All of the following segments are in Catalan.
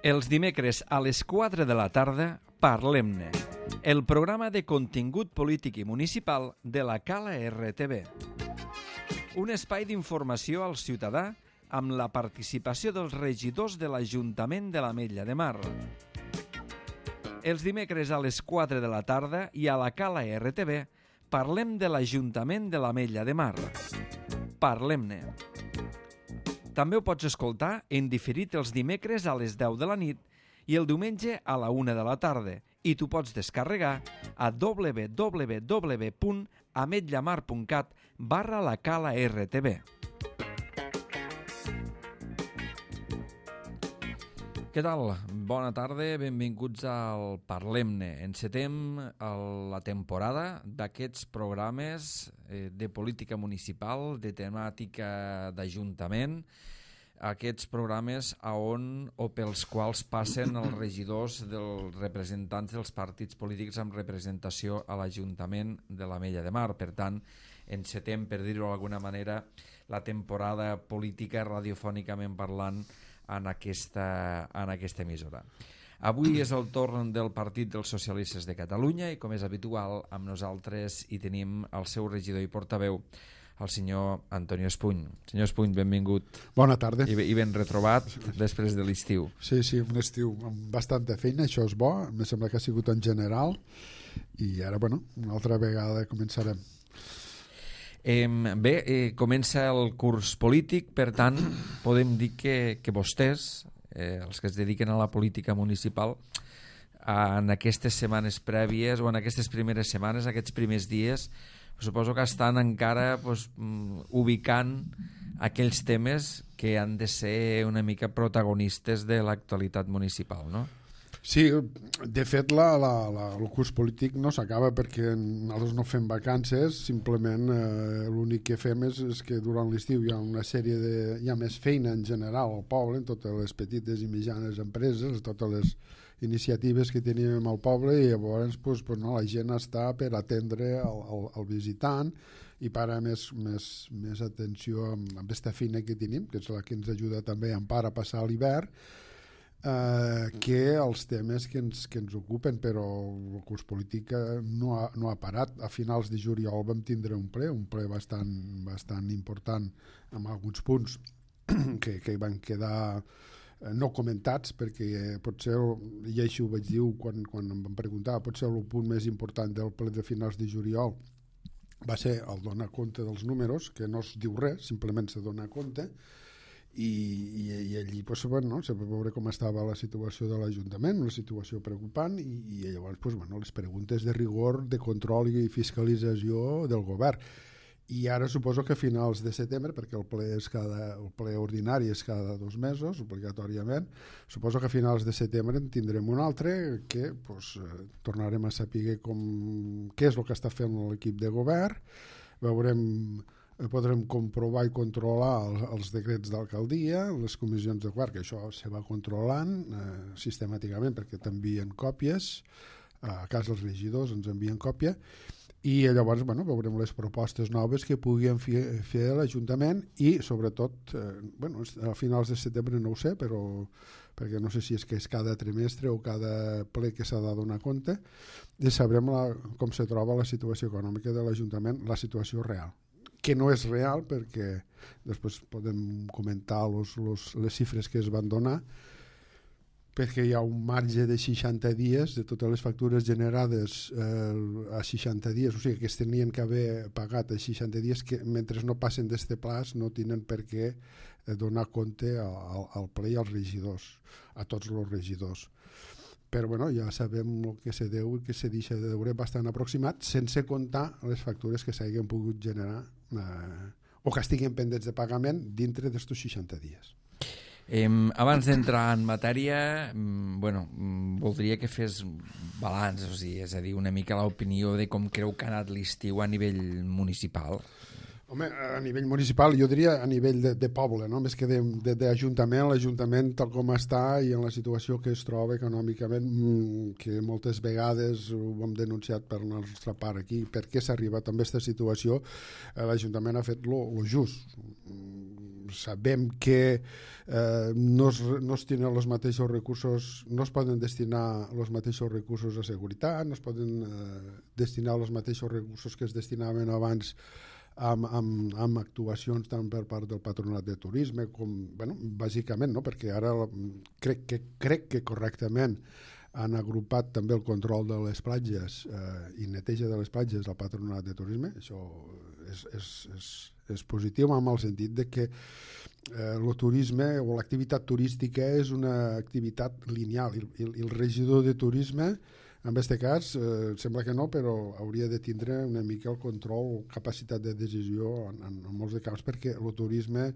Els dimecres a les 4 de la tarda, Parlem-ne, el programa de contingut polític i municipal de la Cala RTV. Un espai d'informació al ciutadà amb la participació dels regidors de l'Ajuntament de l'Ametlla de Mar. Els dimecres a les 4 de la tarda i a la Cala RTV parlem de l'Ajuntament de l'Ametlla de Mar. Parlem-ne. També ho pots escoltar en diferit els dimecres a les 10 de la nit i el diumenge a la 1 de la tarda i tu pots descarregar a www.ametllamar.cat/la-cala-rtv. Què tal? Bona tarda, benvinguts al Parlem-ne. Encetem la temporada d'aquests programes de política municipal, de temàtica d'ajuntament, aquests programes pels quals passen els regidors dels representants dels partits polítics amb representació a l'Ajuntament de l'Ametlla de Mar. Per tant, encetem, per dir-ho d'alguna manera, la temporada política radiofònicament parlant en aquesta emissora. Avui és el torn del Partit dels Socialistes de Catalunya i, com és habitual, amb nosaltres hi tenim el seu regidor i portaveu, el senyor Antonio Espuny. Senyor Espuny, benvingut. Bona tarda. I ben retrobat després de l'estiu. Sí, un estiu amb bastanta feina, això és bo, em sembla que ha sigut en general, i ara, una altra vegada començarem. Comença el curs polític, per tant, podem dir que vostès, els que es dediquen a la política municipal, en aquestes setmanes prèvies o en aquestes primeres setmanes, aquests primers dies, suposo que estan encara ubicant aquells temes que han de ser una mica protagonistes de l'actualitat municipal, no? Sí, de fet el curs polític no s'acaba perquè nosaltres no fem vacances, simplement l'únic que fem és que durant l'estiu hi ha una sèrie hi ha més feina en general al poble, en totes les petites i mitjanes empreses, totes les iniciatives que tenim al poble, i llavors la gent està per atendre el visitant i parar més atenció amb aquesta feina que tenim, que és la que ens ajuda també en part a passar l'hivern, que els temes que ens ocupen, però el curs polític no ha parat. A finals de juliol vam tindre un ple bastant important amb alguns punts que van quedar no comentats, perquè potser, i així ho vaig dir quan em van preguntar, potser el punt més important del ple de finals de juliol va ser el donar compte dels números, que no es diu res, simplement se dona compte, i allí se va veure com estava la situació de l'Ajuntament, una situació preocupant, i llavors les preguntes de rigor, de control i fiscalització del govern. I ara suposo que a finals de setembre, perquè el ple ordinari és cada 2 mesos, obligatòriament, suposo que a finals de setembre en tindrem un altre que tornarem a saber què és el que està fent l'equip de govern, podrem comprovar i controlar els decrets d'alcaldia, les comissions de govern, que això se va controlant sistemàticament perquè t'envien còpies, a casa els regidors ens envien còpia, i llavors veurem les propostes noves que puguin fer l'Ajuntament i sobretot a finals de setembre no ho sé, però perquè no sé si és que és cada trimestre o cada ple que s'ha de donar compte, i sabrem com se troba la situació econòmica de l'Ajuntament, la situació real, que no és real perquè després podem comentar les xifres que es van donar, perquè hi ha un marge de 60 dies de totes les factures generades a 60 dies, o sigui que es tenien que haver pagat a 60 dies, que mentre no passen d'este plaç no tenen per què donar compte al ple i als regidors, a tots els regidors. Però ja sabem el que se deu i que se deixa de deure bastant aproximat, sense comptar les factures que s'hagin pogut generar o que estiguin pendents de pagament dintre d'estos 60 dies. Abans d'entrar en matèria, voldria que fes balanç, és a dir, una mica l'opinió de com creu que ha anat l'estiu a nivell municipal. Home, a nivell municipal, jo diria a nivell de poble, no? Més que d'Ajuntament, l'Ajuntament tal com està i en la situació que es troba econòmicament, que moltes vegades ho hem denunciat per la nostra part aquí, per què s'ha arribat a aquesta situació, l'Ajuntament ha fet lo just. sabem que no es tenen els mateixos recursos, no es poden destinar els mateixos recursos a seguretat, no es poden destinar els mateixos recursos que es destinaven abans amb actuacions tant per part del Patronat de Turisme com, bueno, bàsicament, no? Perquè ara crec que correctament han agrupat també el control de les platges i neteja de les platges al Patronat de Turisme. Això és positiu en el sentit de que el turisme o l'activitat turística és una activitat lineal i el regidor de turisme en aquest cas sembla que no, però hauria de tindre una mica el control o capacitat de decisió en molts de casos, perquè el turisme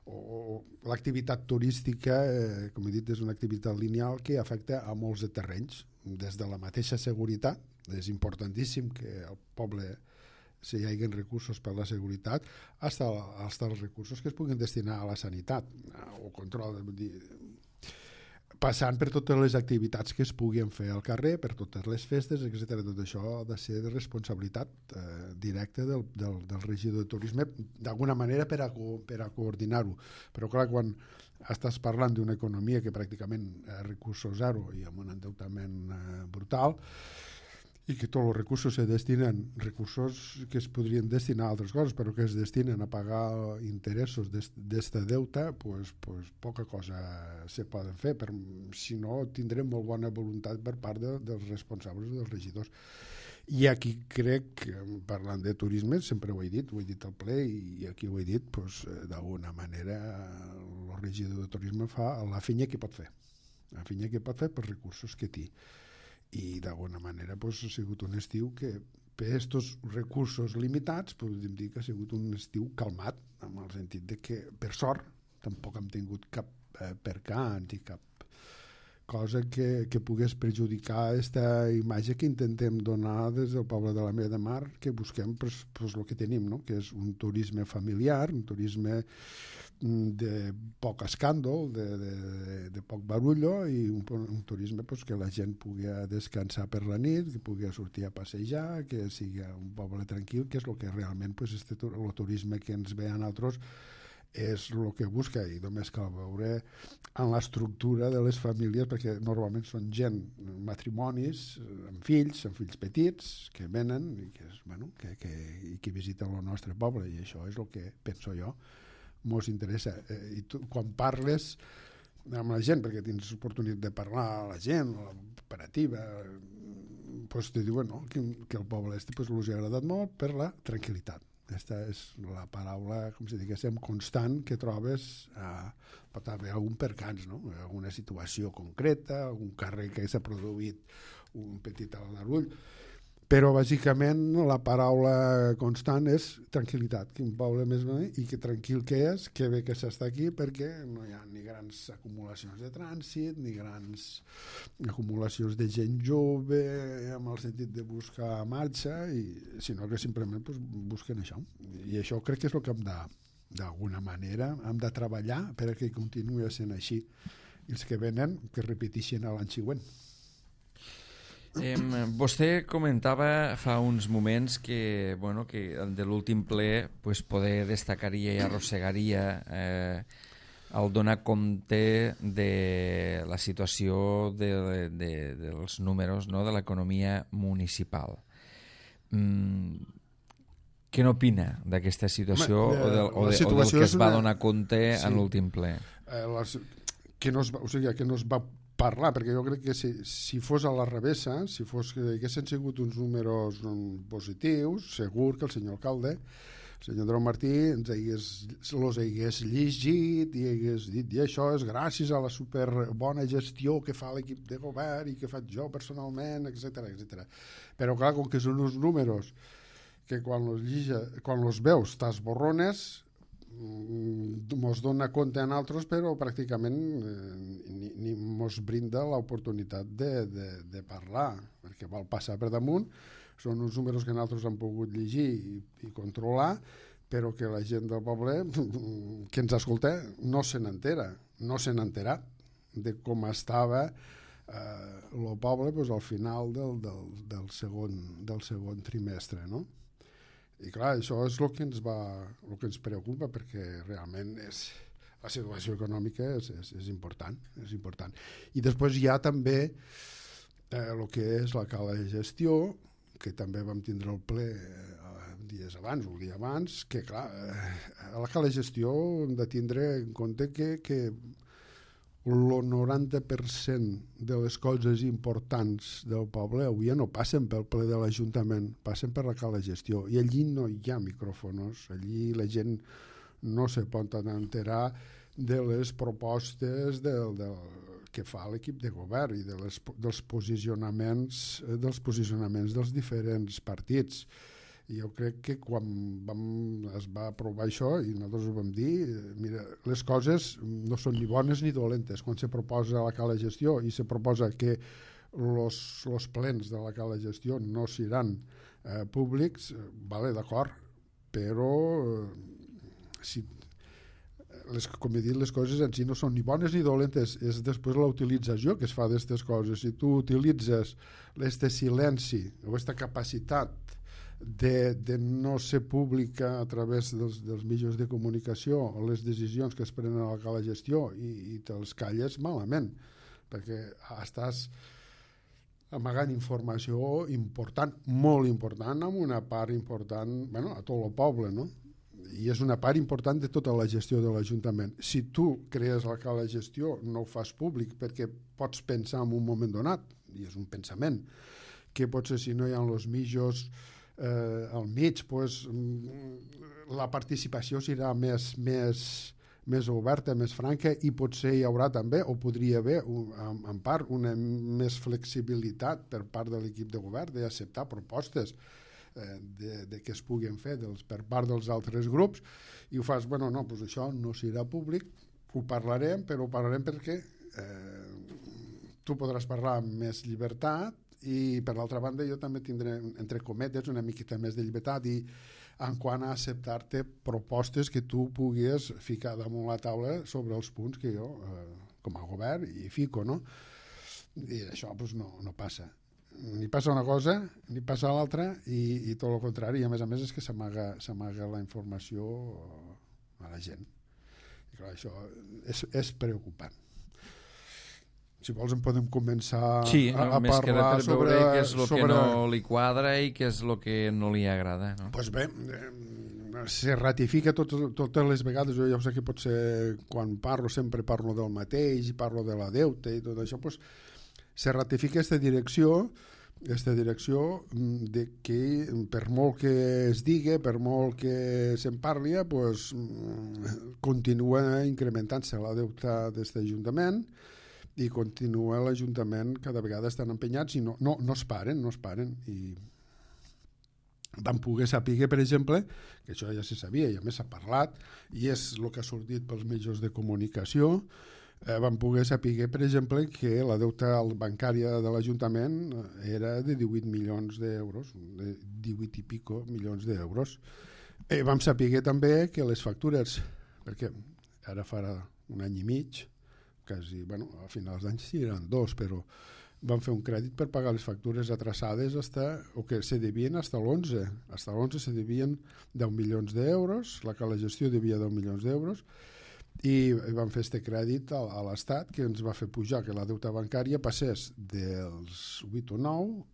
o l'activitat turística, com he dit, és una activitat lineal que afecta a molts de terrenys, des de la mateixa seguretat, és importantíssim que al poble si hi hagi recursos per la seguretat, fins als recursos que es puguin destinar a la sanitat o control, passant per totes les activitats que es puguin fer al carrer, per totes les festes, etc. Tot això ha de ser de responsabilitat directa del regidor de turisme, d'alguna manera per a coordinar-ho. Però clar, quan estàs parlant d'una economia que pràcticament recursos zero i amb un endeutament brutal, i que tots els recursos se destinen, recursos que es podrien destinar a altres coses, però que es destinen a pagar interessos d'este deute, pues poca cosa se poden fer, si no tindrem molt bona voluntat per part dels responsables dels regidors. I aquí crec, parlant de turisme, sempre ho he dit al ple i aquí ho he dit, d'alguna manera el regidor de turisme fa la feina que pot fer, per recursos que té. I d'alguna manera ha sigut un estiu que per aquests recursos limitats podríem dir que ha sigut un estiu calmat, en el sentit de que per sort tampoc hem tingut cap percanç i cap cosa que pogués perjudicar aquesta imatge que intentem donar des del poble de la Mella de Mar, que busquem el que tenim, no? Que és un turisme familiar, un turisme de poc escàndol, de poc barullo i un turisme que la gent pugui descansar per la nit, que pugui sortir a passejar, que sigui un poble tranquil, que és el que realment el turisme que ens ve a nosaltres és el que busca, i només cal veure en l'estructura de les famílies, perquè normalment són gent, matrimonis amb fills petits que venen i que visiten el nostre poble, i això és el que penso jo mos interessa. I tu, quan parles amb la gent, perquè tens oportunitat de parlar a la gent, a l'operativa, te diuen que el poble els ha agradat molt per la tranquil·litat. Aquesta és la paraula, com si diguéssim, constant que trobes. Pot haver algun percanç, no? Alguna situació concreta, algun càrrec que s'ha produït un petit aldarull, però bàsicament la paraula constant és tranquil·litat, que un poble més bonic i que tranquil que és, que bé que s'està aquí, perquè no hi ha ni grans acumulacions de trànsit, ni grans acumulacions de gent jove amb el sentit de buscar marxa, sinó que simplement busquen això. I això crec que és el que hem d'alguna manera hem de treballar perquè continuï sent així. I els que venen que repeteixin l'any següent. Vostè comentava fa uns moments que de l'últim ple poder destacaria i arrossegaria el donar compte de la situació dels números, no, de l'economia municipal. Què n'opina d'aquesta situació o del que es va donar compte en l'últim ple? Que no es va parlar, perquè jo crec que si fos a la revessa, si fos que haguessin sigut uns números positius, segur que el senyor alcalde, el senyor Andreu Martí, els hagués llegit i hagués dit, i això és gràcies a la superbona gestió que fa l'equip de govern i que faig jo personalment, etc. Però clar, com que són uns números que quan els veus t'esborrones, mos dona compte a nosaltres, però pràcticament ni mos brinda l'oportunitat de parlar, perquè vol passar per damunt. Són uns números que nosaltres hem pogut llegir i controlar, però que la gent del poble que ens escolta no se n'entera, no se n'ha enterat de com estava el poble al final del segon trimestre, no? I clar, això és el que ens preocupa, perquè realment la situació econòmica és important, és important. I després hi ha també el que és la cala de gestió, que també vam tindre el ple dies abans, un dia abans, que clar, a la cala de gestió hem de tindre en compte que el 90% de les coses importants del poble avui no passen pel ple de l'Ajuntament, passen per la cala de gestió, i allí no hi ha micròfonos, allí la gent no se pot enterar de les propostes que fa l'equip de govern i dels posicionaments dels diferents partits. I jo crec que quan es va aprovar això, i nosaltres ho vam dir, mira, les coses no són ni bones ni dolentes. Quan se proposa la cala de gestió i se proposa que els plens de la cala de gestió no seran públics, vale, d'acord, però com he dit, les coses en si no són ni bones ni dolentes, és després la utilització que es fa d'aquestes coses. Si tu utilitzes este silenci o aquesta capacitat de no ser pública a través dels mitjans de comunicació o les decisions que es prenen a la cala de gestió i te'ls calles, malament, perquè estàs amagant informació important, molt important, amb una part important, bueno, a tot el poble, no? I és una part important de tota la gestió de l'Ajuntament. Si tu crees la cala de gestió, no ho fas públic perquè pots pensar en un moment donat, i és un pensament, que potser si no hi ha els mitjans al mig, pues, la participació serà més oberta, més franca, i potser hi haurà també, o podria haver en part, una més flexibilitat per part de l'equip de govern d'acceptar propostes de que es puguin fer per part dels altres grups, i ho fas, bueno, no, doncs això no serà públic, ho parlarem, però ho parlarem perquè tu podràs parlar amb més llibertat, i per l'altra banda jo també tindré, entre cometes, una miqueta més de llibertat i en quant a acceptar-te propostes que tu puguis ficar damunt la taula sobre els punts que jo, com a govern, hi fico, no? I això doncs, no passa. Ni passa una cosa, ni passa l'altra, i tot el contrari, i a més és que s'amaga la informació a la gent. I clar, això és preocupant. Si vols en podem començar a parlar sobre què és el que no li quadra i què és el que no li agrada, no? Pues bé, se ratifica totes les vegades. Jo ja sé que potser quan parlo sempre parlo del mateix, parlo de la deuta i tot això, pues, se ratifica aquesta direcció de que per molt que es digui, per molt que se'n parli, pues, continua incrementant-se la deuta d'aquest Ajuntament, i continua l'Ajuntament cada vegada estan empenyats i no es paren, i vam poder saber, per exemple, que això ja se sabia i a més s'ha parlat i és el que ha sortit pels mitjans de comunicació, vam poder saber, per exemple, que la deuta bancària de l'Ajuntament era de 18 milions d'euros, de 18 i pico milions d'euros. Vam saber també que les factures, perquè ara farà un any i mig, quasi, bueno, a finals d'any sí eren 2, però van fer un crèdit per pagar les factures atrasades o que se devien fins a l'11. Fins a l'11 se devien 10 milions d'euros, la cala de gestió devia 10 milions d'euros, i van fer este crèdit a l'Estat que ens va fer pujar que la deuta bancària passés dels 8 o 9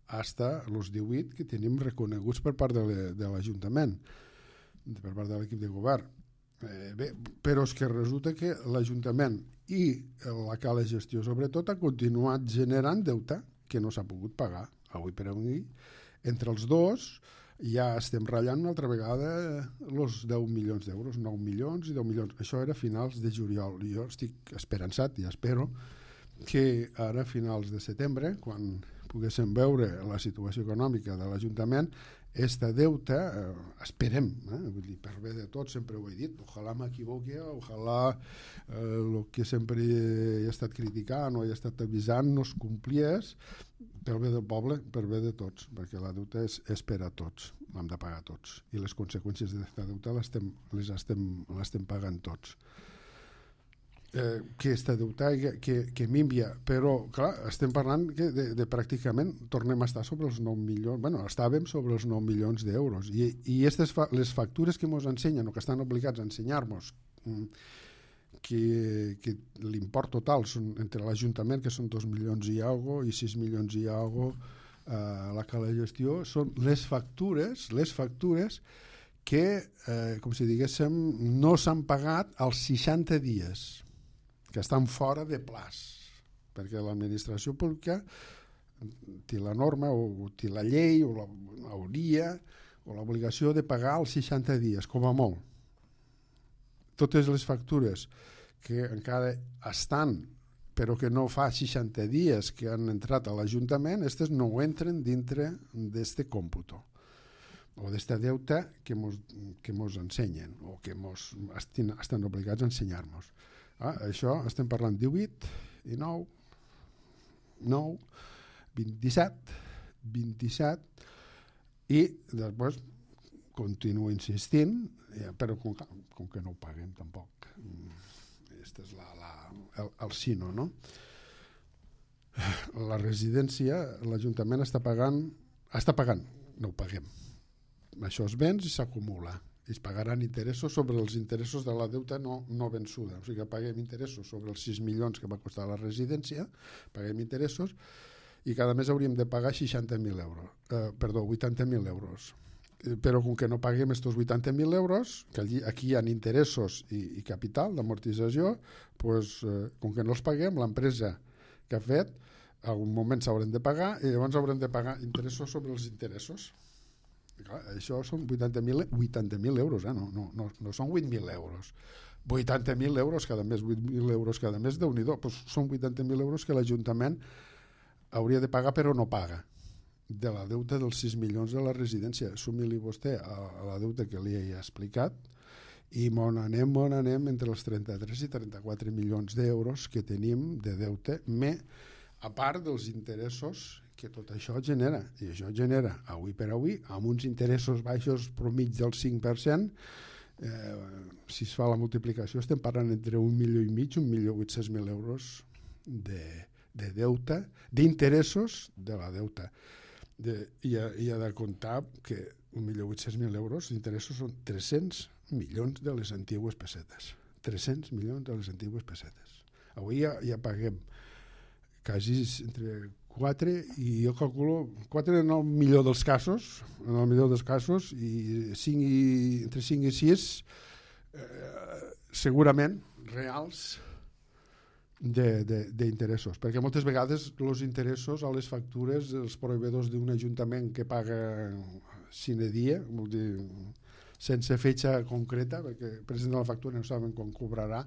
fins als 18 que tenim reconeguts per part de l'Ajuntament, per part de l'equip de govern. Bé, però és que resulta que l'Ajuntament i la cala de gestió sobretot ha continuat generant deute que no s'ha pogut pagar avui per avui. Entre els dos ja estem ratllant una altra vegada els 10 milions d'euros, 9 milions i 10 milions. Això era a finals de juliol. Jo estic esperançat i espero que ara a finals de setembre, quan poguéssim veure la situació econòmica de l'Ajuntament, esta deuta, esperem, vull dir, per bé de tots, sempre ho he dit, ojalà m'equivoqui, ojalà el que sempre he estat criticant o he estat avisant no es compliés, pel bé del poble, per bé de tots, perquè la deuta és per a tots, l'hem de pagar tots, i les conseqüències d'aquesta deuta les estem pagant tots. aquesta deutà que m'envia, però clar, estem parlant de pràcticament tornem a estar sobre els 9 milions, bueno, estàvem sobre els 9 milions d'euros i les factures que ens ensenyen o que estan obligats a ensenyar-nos que l'import total són entre l'Ajuntament, que són 2 milions i algo, i 6 milions i algo la cala de gestió, són les factures que, com si diguéssim, no s'han pagat als 60 dies, que estan fora de plaç, perquè l'administració pública té la norma o té la llei o l'hauria o l'obligació de pagar als 60 dies, com a molt. Totes les factures que encara estan però que no fa 60 dies que han entrat a l'Ajuntament, aquestes no entren dintre d'este còmputo o d'este deute que mos ensenyen o que estan obligats a ensenyar-nos. Això estem parlant 18, 19, 27 i després continuo insistint, però com que no ho paguem tampoc. Aquest és el sino, no? La residència, l'Ajuntament està pagant, no ho paguem. Això es ven i s'acumula. I es pagaran interessos sobre els interessos de la deuta no vençuda. O sigui que paguem interessos sobre els 6 milions que va costar la residència, paguem interessos i cada mes hauríem de pagar 80.000 euros. Però com que no paguem aquests 80.000 euros, que aquí hi ha interessos i capital d'amortització, doncs, com que no els paguem, l'empresa que ha fet, en algun moment s'hauran de pagar i llavors haurem de pagar interessos sobre els interessos. Clar, això són 80.000 euros, no són 8.000 euros. 80.000 euros cada mes, 8.000 euros cada mes, Déu-n'hi-do, doncs són 80.000 euros que l'Ajuntament hauria de pagar però no paga de la deuta dels 6 milions de la residència. Sumi-li vostè a la deuta que li he explicat i on anem entre els 33 i 34 milions d'euros que tenim de deute, a part dels interessos que tot això genera, i això genera avui per avui, amb uns interessos baixos promig del 5%, si es fa la multiplicació estem parlant entre 1,5 milió, 1.800.000 euros de deute, d'interessos de la deuta. I ha de comptar que 1.800.000 euros d'interessos són 300 milions de les antigues pessetes. 300 milions de les antigues pessetes. Avui ja paguem quasi entre 4 i jo calculo 4 en el millor dels casos, i entre 5 i 6 segurament reals d'interessos, perquè moltes vegades els interessos a les factures dels proveïdors d'un ajuntament que paga sine die, vol dir sense fetge concreta, perquè presenta la factura i no saben quan cobrarà,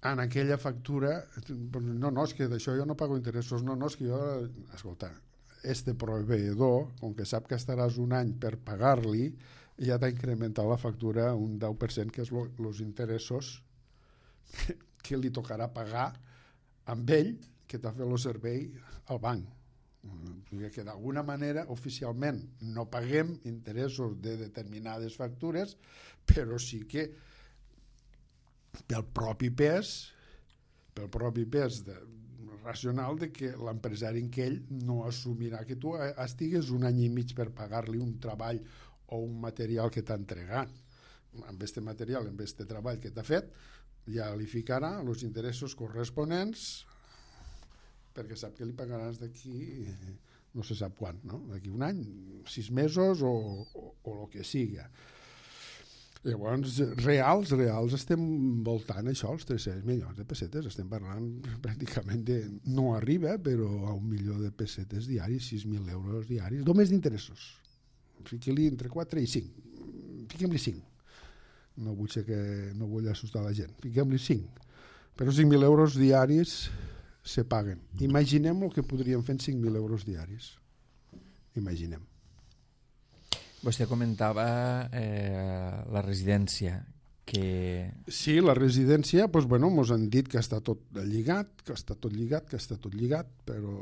en aquella factura no, és que d'això jo no pago interessos, no, és que jo, escolta, este proveïdor, com que sap que estaràs un any per pagar-li, ja t'ha incrementat la factura un 10%, que és els interessos que li tocarà pagar amb ell, que t'ha fet el servei al banc. Que d'alguna manera, oficialment, no paguem interessos de determinades factures, però sí que pel propi pes racional de que l'empresari en ell no assumirà que tu estigues un any i mig per pagar-li un treball o un material que t'ha entregat. Amb aquest material, amb aquest treball que t'ha fet, ja li ficarà els interessos corresponents perquè sap que li pagaràs d'aquí no se sap quan, no? D'aquí un any, 6 mesos o el que siga. Llavors, reals estem voltant això, els 300 milions de pessetes, estem parlant pràcticament de, no arriba, però a 1 milió de pessetes diaris, 6.000 euros diaris, només d'interessos. Fiqui-li entre 4 i 5. Fiquem-li 5. No vull assustar la gent. Fiquem-li 5. Però 5.000 euros diaris se paguen. Imaginem el que podríem fer en 5.000 euros diaris. Imaginem. Vostè comentava la residència. Sí, la residència, doncs, mos han dit que està tot lligat, però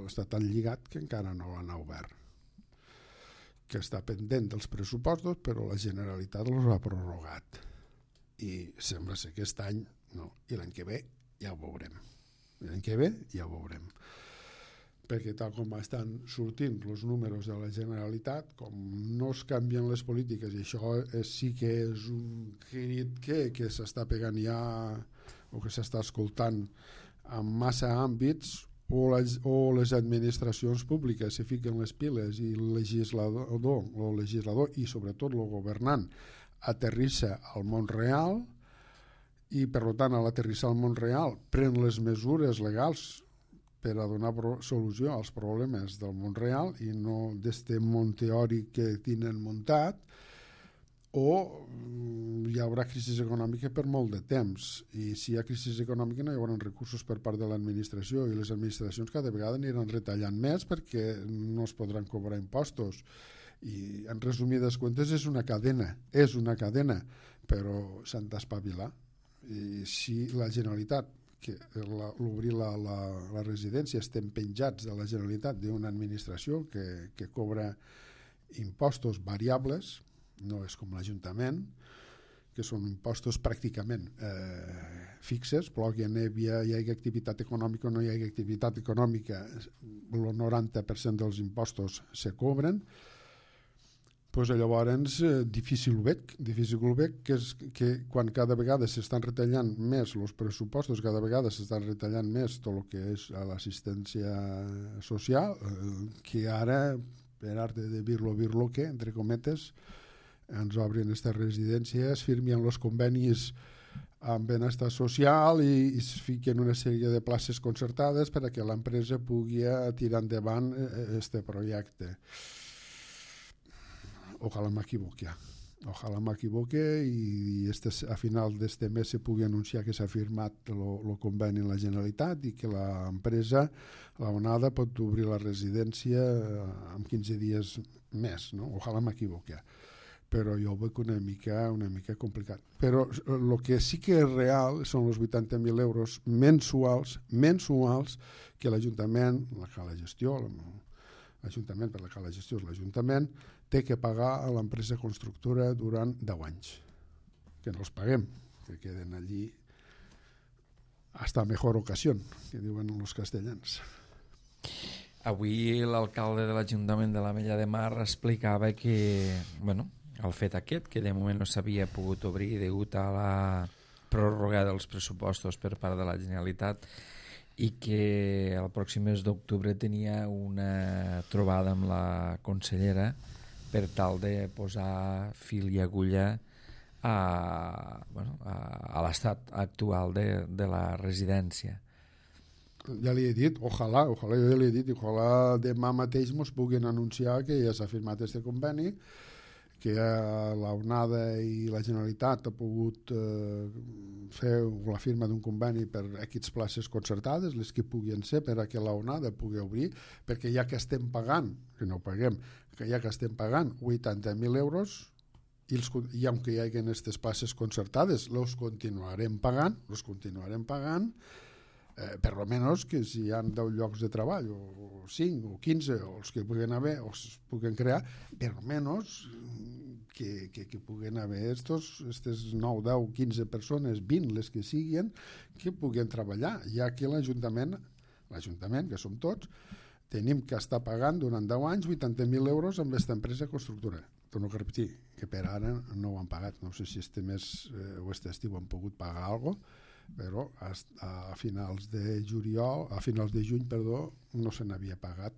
està tan lligat que encara no l'han obert. Que està pendent dels pressupostos, però la Generalitat els ha prorrogat. I sembla ser que aquest any no, i l'any que ve ja ho veurem. L'any que ve ja ho veurem. Perquè tal com estan sortint els números de la Generalitat, com no es canvien les polítiques, i això sí que és un crit que s'està pegant ja, o que s'està escoltant en massa àmbits, o les administracions públiques se fiquen les piles i el legislador i sobretot el governant aterrissa al món real, i per tant a l'aterrissar al món real pren les mesures legals per a donar solució als problemes del món real i no d'este món teòric que tenen muntat, o hi haurà crisi econòmica per molt de temps, i si hi ha crisi econòmica no hi haurà recursos per part de l'administració, i les administracions cada vegada aniran retallant més perquè no es podran cobrar impostos, i en resumides comptes és una cadena, però s'han d'espavilar. I si la Generalitat, que l'obrir la residència, estem penjats de la Generalitat d'una administració que cobra impostos variables, no és com l'Ajuntament, que són impostos pràcticament fixes, però que hi hagi activitat econòmica o no hi hagi activitat econòmica, el 90% dels impostos se cobren, doncs llavors difícil ho veig, que és que quan cada vegada s'estan retallant més els pressupostos, cada vegada s'estan retallant més tot el que és l'assistència social, que ara, per art de dir-lo que, entre cometes, ens obrin aquestes residències, firmen els convenis amb benestar social i es fiquen una sèrie de places concertades perquè l'empresa pugui tirar endavant aquest projecte. Ojalà m'equivoque i a final d'este mes se pugui anunciar que s'ha firmat el conveni en la Generalitat i que l'empresa, la Onada, pot obrir la residència en 15 dies més, no? Ojalà m'equivoque, però jo ho veig una mica complicat. Però el que sí que és real són els 80.000 euros mensuals que l'Ajuntament, la cala gestió, l'Ajuntament, per la cala gestió és l'Ajuntament, té que pagar a l'empresa constructora durant 10 anys. Que no els paguem, que queden allí hasta mejor ocasión, que diuen els castellans. Avui l'alcalde de l'Ajuntament de l'Ametlla de Mar explicava que, el fet aquest, que de moment no s'havia pogut obrir degut a la pròrroga dels pressupostos per part de la Generalitat, i que el pròxim mes d'octubre tenia una trobada amb la consellera per tal de posar fil i agulla a l'estat actual de la residència. Ja li he dit, ojalà demà mateix ens puguin anunciar que ja s'ha firmat aquest conveni, que la Onada i la Generalitat ha pogut fer la firma d'un conveni per aquestes places concertades, les que puguin ser, per a que la Onada pugui obrir, perquè ja que estem pagant, que no paguem, que ja que estem pagant 80.000 euros, i aunque hi hagi aquestes places concertades, els continuarem pagant, per lo menos que si hi ha 10 llocs de treball, o 5 o 15, o els que puguen haver, o es puguen crear, per lo menos que puguen haver aquestes 9, 10, 15 persones, 20, les que siguin, que puguen treballar, ja que l'Ajuntament, que som tots, tenim que estar pagant durant 10 anys 80.000 euros amb aquesta empresa constructora. Torno a repetir, que per ara no ho han pagat. No sé si este mes o este estiu han pogut pagar alguna cosa, però a finals de juny, no se n'havia pagat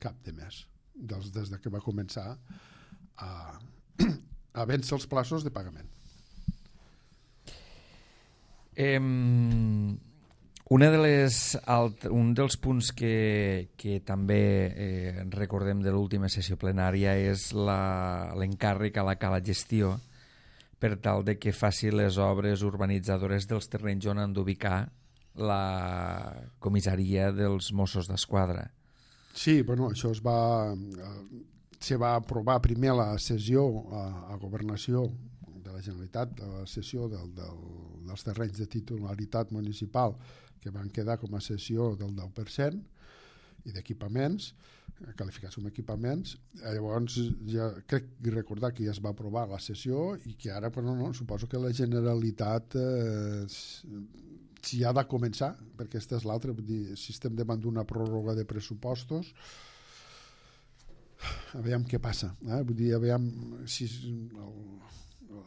cap de mes, des que va començar a vèncer els plaços de pagament. Un dels punts que també recordem de l'última sessió plenària és l'encàrrec a la cala gestió per tal de que faci les obres urbanitzadores dels terrenys on han d'ubicar la comissaria dels Mossos d'Esquadra. Sí, això se va aprovar primer la sessió a Governació de la Generalitat, la sessió dels terrenys de titularitat municipal, que van quedar com a cessió del 10%, i d'equipaments, qualificats com equipaments. Llavors, ja crec recordar que ja es va aprovar la sessió i que ara, suposo que la Generalitat si ha de començar, perquè aquesta és l'altra, si estem davant d'una pròrroga de pressupostos, aviam què passa, vull dir, aviam si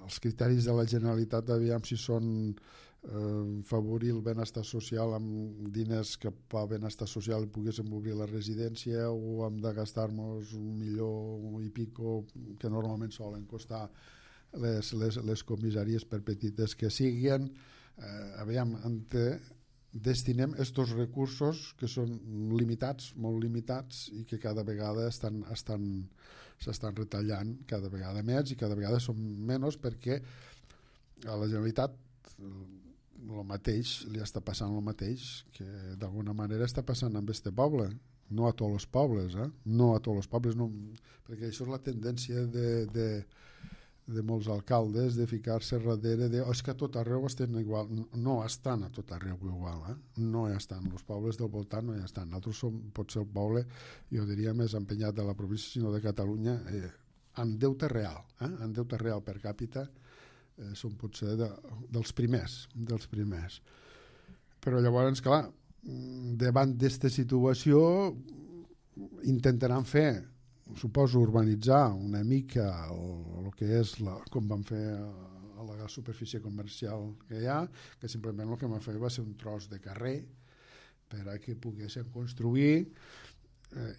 els criteris de la Generalitat, aviam si són favorir el benestar social amb diners cap al benestar social i poguéssim obrir la residència, o hem de gastar-nos $1,000,000 i pico que normalment solen costar les comissaries, per petites que siguin. Aviam, destinem estos recursos que són limitats, molt limitats, i que cada vegada s'estan retallant cada vegada més, i cada vegada són menys, perquè a la Generalitat el mateix, li està passant el mateix que d'alguna manera està passant amb este poble, no a tots els pobles, no a tots els pobles, no, perquè això és la tendència de molts alcaldes, de ficar-se darrere de és que a tot arreu estan igual. No estan a tot arreu igual, no hi estan, els pobles del voltant no hi estan. Nosaltres som potser el poble, jo diria, més empenyat de la província, sinó de Catalunya, en deute real, en deute real per càpita, són potser dels primers. Però llavors, clar, davant d'esta situació intentaran fer, suposo, urbanitzar una mica el que és com van fer a la superfície comercial que hi ha, que simplement el que van fer va ser un tros de carrer per a que poguessin construir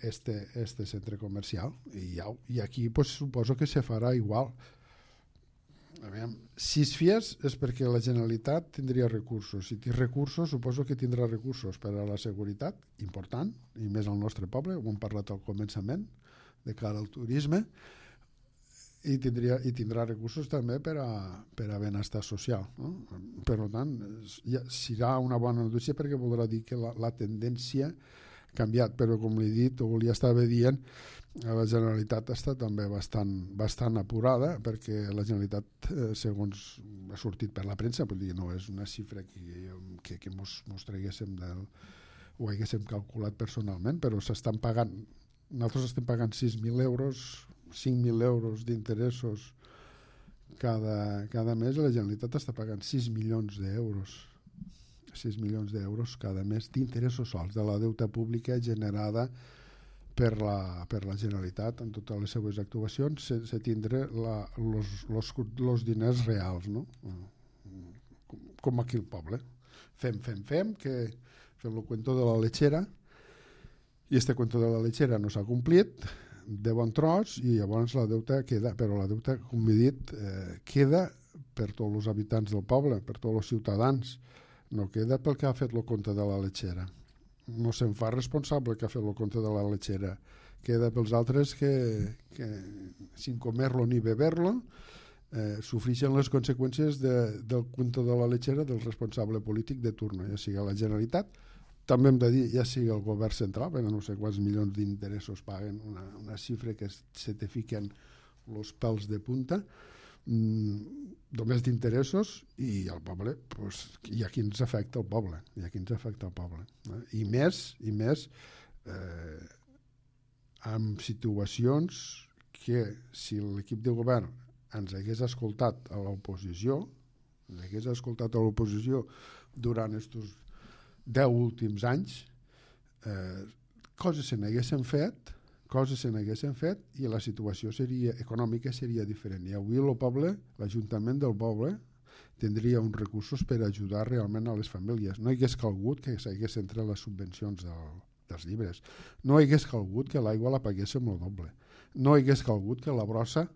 este centre comercial, i aquí pues, suposo que se farà igual. Si es fies és perquè la Generalitat tindria recursos. Si té recursos, suposo que tindrà recursos per a la seguretat, important, i més al nostre poble, ho hem parlat al començament, de cara al turisme, i tindrà recursos també per a benestar social, no? Per tant, serà una bona notícia, perquè voldrà dir que la tendència ha canviat, però com li he dit, o li estava dient, la Generalitat està també bastant apurada, perquè la Generalitat, segons ha sortit per la premsa, vull dir, no és una xifra que mos traguéssim o haguéssim calculat personalment, però s'estan pagant, nosaltres estem pagant 6.000 euros, 5.000 euros d'interessos cada mes, i la Generalitat està pagant 6 milions d'euros. 6 milions d'euros cada mes d'interessos sols de la deuta pública generada per la Generalitat en totes les seues actuacions, sense tindre els diners reals, no? Com aquí al poble. Fem, que fem el cuento de la lechera, i este cuento de la lechera no s'ha complit de bon tros, i llavors la deuta queda, però la deuta, com he dit, queda per tots els habitants del poble, per tots els ciutadans, no queda pel que ha fet el compte de la lechera. No se'n fa responsable que ha fet el compte de la lechera. Queda pels altres que sin comer-lo ni beber-lo sofreixen les conseqüències del compte de la lechera del responsable polític de turno, ja sigui la Generalitat, també hem de dir, ja sigui el govern central, perquè no sé quants milions d'interessos paguen, una xifra que se te fiquen els pèls de punta, només d'interessos, i el poble, pues, i a qui ens afecta el poble, i més amb situacions que, si l'equip de govern ens hagués escoltat a l'oposició, durant aquests 10 últims anys, coses se n'haguessin fet, i la situació econòmica seria diferent. I avui el poble, l'Ajuntament del poble, tindria uns recursos per ajudar realment a les famílies. No hagués calgut que s'haguessin tret les subvencions dels llibres. No hagués calgut que l'aigua la paguéssim el doble. No hagués calgut que la brossa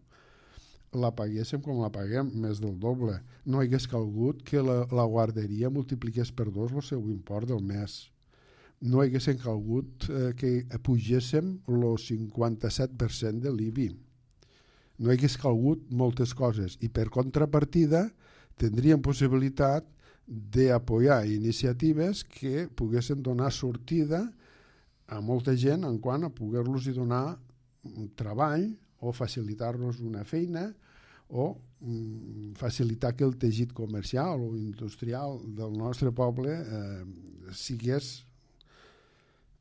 la paguéssim com la paguem, més del doble. No hagués calgut que la guarderia multipliqués per 2 el seu import del mes. No haguessin calgut que pugéssim el 57% de l'IBI. No hagués calgut moltes coses, i per contrapartida tindríem possibilitat d'apoyar iniciatives que poguessin donar sortida a molta gent en quant a poder-los donar treball o facilitar-nos una feina o facilitar que el teixit comercial o industrial del nostre poble sigués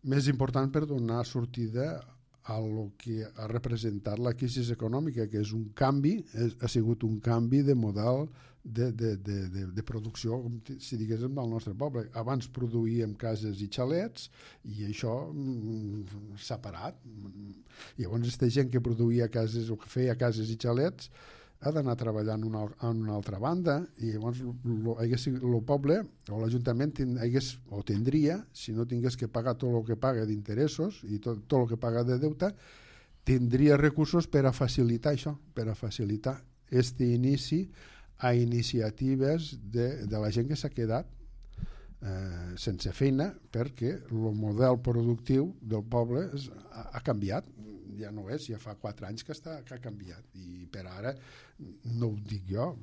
més important per donar sortida a lo que ha representat la crisi econòmica, que és un canvi, ha sigut un canvi de model de producció, com si diguéssim, del nostre poble. Abans produïem cases i xalets i això s'ha parat. Llavors, aquesta gent que produïa cases o que feia cases i xalets ha d'anar treballant en una altra banda, i llavors el poble o l'Ajuntament tindria, si no tingués que pagar tot el que paga d'interessos i tot el que paga de deute, tindria recursos per a facilitar això, per a facilitar aquest inici a iniciatives de la gent que s'ha quedat sense feina, perquè el model productiu del poble ha canviat. Ja no és, ja fa 4 anys que ha canviat, i per ara no ho dic jo,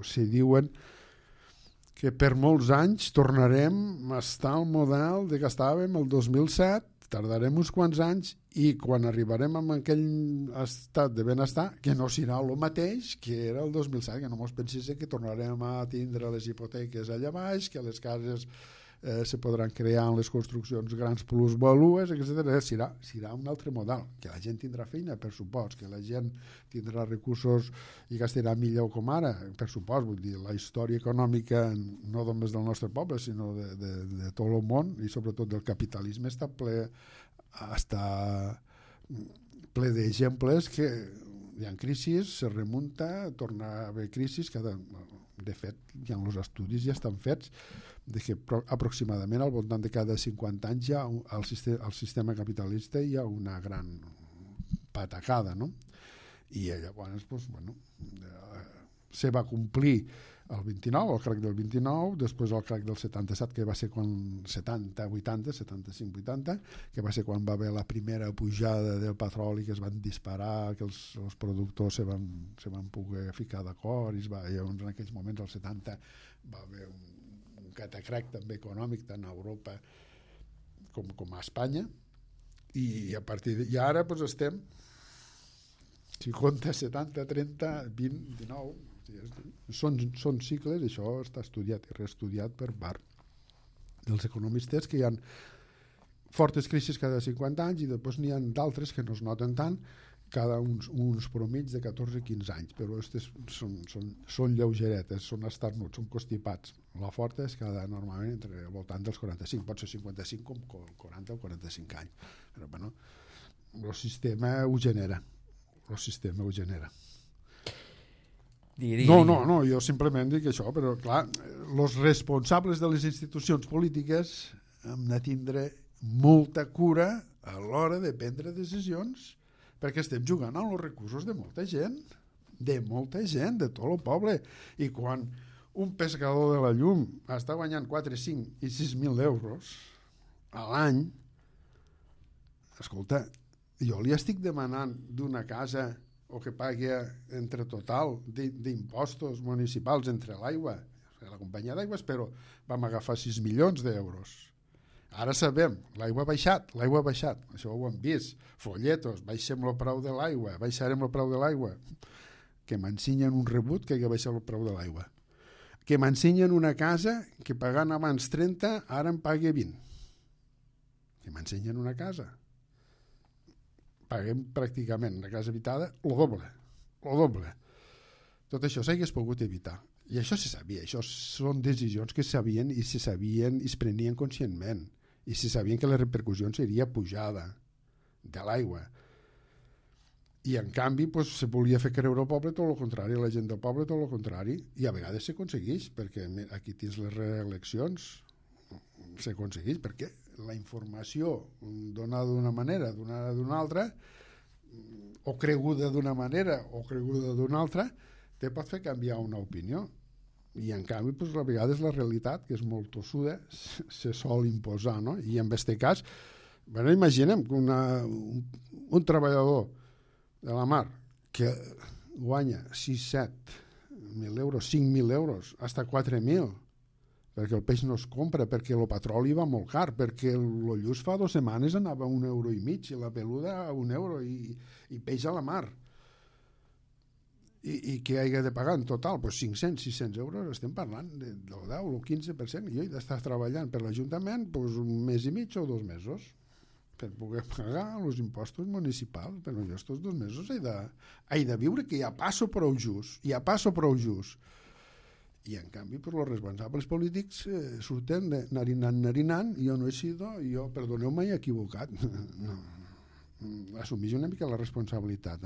se diuen que per molts anys tornarem a estar al model de que estàvem el 2007, tardarem uns quants anys, i quan arribarem a aquell estat de benestar, que no serà el mateix que era el 2007, que no mos pensés que tornarem a tindre les hipoteques allà baix, que les cases se podran crear en les construccions grans plusvalues, etc. Serà un altre model, que la gent tindrà feina, per supost, que la gent tindrà recursos i gastarà millor com ara, per supost. Vull dir, la història econòmica no només del nostre poble, sinó de tot el món, i sobretot del capitalisme, està ple d'exemples que hi ha crisis, se remunta, torna a haver crisis, de fet, hi ha els estudis ja estan fets de que aproximadament al voltant de cada 50 anys ja al sistema capitalista hi ha una gran patacada, no? I llavors se va complir el 29, el crac del 29, després el crac del 77, que va ser quan 75-80, que va ser quan va haver la primera pujada del petroli, que es van disparar, que els productors se van poder ficar d'acord, i llavors en aquells moments, al 70, va haver un catacrac també econòmic tant a Europa com a Espanya, i a partir i ara estem 50, 70, 30, 20, 19, són cicles. Això està estudiat i reestudiat per part dels economistes, que hi ha fortes crisis cada 50 anys, i després n'hi ha d'altres que no es noten tant, cada uns promits de 14-15 anys, però són lleugeretes, són esternuts, són constipats. La forta és normalment entre al voltant dels 45, pot ser 55 com 40 o 45 anys. Però bueno, el sistema ho genera. No, jo simplement dic això, però clar, els responsables de les institucions polítiques hem de tindre molta cura a l'hora de prendre decisions, perquè estem jugant amb els recursos de molta gent, de tot el poble. I quan un pescador de la llum està guanyant 4, 5 i 6.000 euros a l'any, escolta, jo li estic demanant d'una casa o que pagui entre total d'impostos municipals entre l'aigua, la companyia d'aigües, però vam agafar 6 milions d'euros. Ara sabem, l'aigua ha baixat, això ho hem vist, folletos, baixem el preu de l'aigua, baixarem el preu de l'aigua, que m'ensenyen un rebut que ha baixat el preu de l'aigua, que m'ensenyen una casa que pagant abans 30, ara em pagui 20, que m'ensenyen una casa, paguem pràcticament una casa habitada el doble. Tot això s'hagués pogut evitar. I això se sabia, això són decisions que sabien i es prenien conscientment, i se sabien que la repercussió seria pujada de l'aigua. I en canvi se volia fer creure al poble tot el contrari, a la gent del poble tot el contrari, i a vegades s'aconsegueix, perquè aquí tens les reeleccions, s'aconsegueix, perquè la informació donada d'una manera, donada d'una altra, o creguda d'una manera o creguda d'una altra, te pot fer canviar una opinió. I en canvi, a vegades la realitat, que és molt tossuda, se sol imposar, no? I en aquest cas, imaginem que un treballador de la mar que guanya 6-7.000 euros, 5.000 euros, fins a 4.000, perquè el peix no es compra, perquè el petroli va molt car, perquè el lluç fa 2 setmanes anava a 1,5 € i la peluda a 1 euro i peix a la mar. I què hagi de pagar en total? 500-600 euros, estem parlant del 10 o 15%, i jo he d'estar treballant per l'Ajuntament un mes i mig o 2 mesos. per poder pagar els impostos municipals. Però jo estos 2 mesos he de viure, que ja passo prou just. I en canvi per els responsables polítics surten narinant, jo no he sido, jo, perdoneu-me, he equivocat. No. Assumeix una mica la responsabilitat,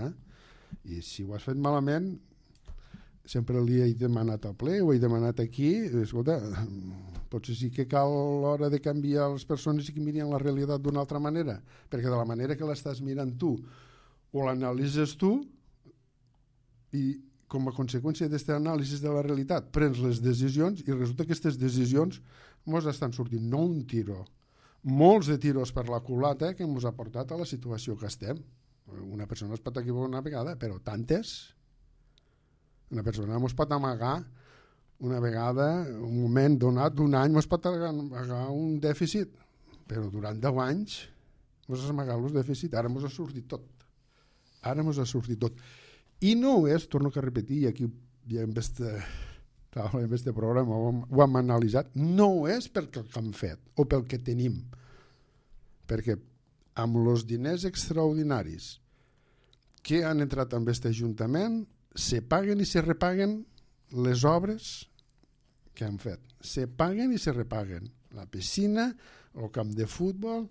i si ho has fet malament, sempre li he demanat al ple, ho he demanat aquí, escolta, potser sí que cal a l'hora de canviar les persones i que mirin la realitat d'una altra manera, perquè de la manera que l'estàs mirant tu o l'analitzes tu, i com a conseqüència d'aquesta anàlisi de la realitat prens les decisions i resulta que aquestes decisions ens estan sortint no un tiro, molts de tiros per la culata que ens ha portat a la situació que estem. Una persona es pot equivocar una vegada, però tantes. Una persona ens pot amagar una vegada, un moment donat d'un any ens pot amagar un dèficit, però durant 10 anys ens ha amagat el dèficit, ara ens ha sortit tot. I no és, torno a repetir, i aquí ja en este programa ho hem analitzat, no és perquè el que hem fet o pel que tenim, perquè amb els diners extraordinaris que han entrat en aquest Ajuntament se paguen i se repaguen les obres que han fet. Se paguen i se repaguen. La piscina, el camp de futbol,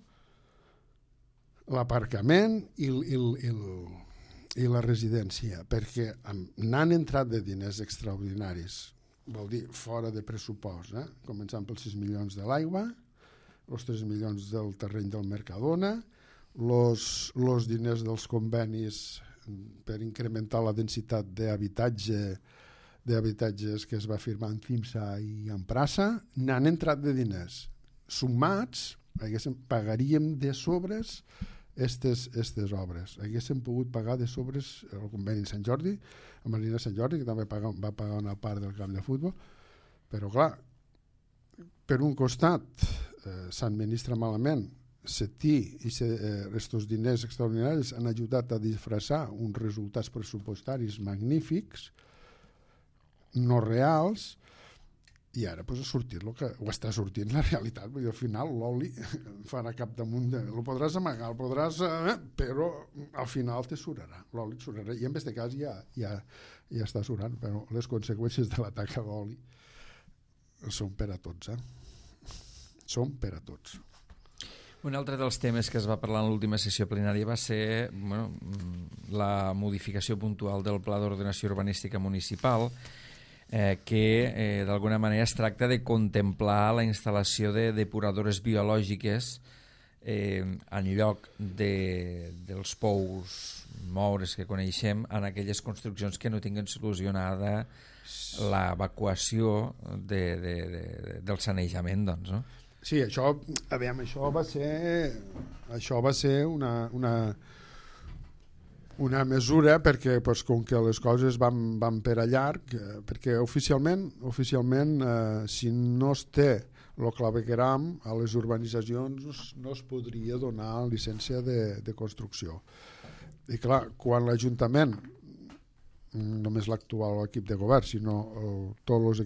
l'aparcament i la residència, perquè n'han entrat de diners extraordinaris, vol dir fora de pressupost, començant pels 6 milions de l'aigua, els 3 milions del terreny del Mercadona, els diners dels convenis per incrementar la densitat d'habitatges que es va firmar en CIMSA i en Prassa, n'han entrat de diners. Sumats, pagaríem de sobres aquestes obres. Haguéssim pogut pagar de sobres el conveni de Sant Jordi, a Marina Sant Jordi, que també va pagar una part del camp de futbol, però clar, per un costat s'administra malament, aquests diners extraordinaris han ajudat a disfressar uns resultats pressupostaris magnífics, no reals, i ara ha sortit el que ho està sortint la realitat, vull dir, al final l'oli farà cap damunt el podràs amagar, però al final te surarà, l'oli et surarà, i en aquest cas ja està surant, però les conseqüències de la taxa d'oli són per a tots, són per a tots. Un altre dels temes que es va parlar en l'última sessió plenària va ser la modificació puntual del Pla d'Ordenació Urbanística Municipal, que d'alguna manera es tracta de contemplar la instal·lació de depuradores biològiques en lloc dels pous moures que coneixem en aquelles construccions que no tinguen solucionada l'evacuació del sanejament, doncs, no? Sí, això va ser una mesura perquè com que les coses van per a llarg, perquè oficialment si no es té el clavegueram a les urbanitzacions no es podria donar llicència de construcció. I clar, quan l'Ajuntament, només l'actual equip de govern, sinó tots els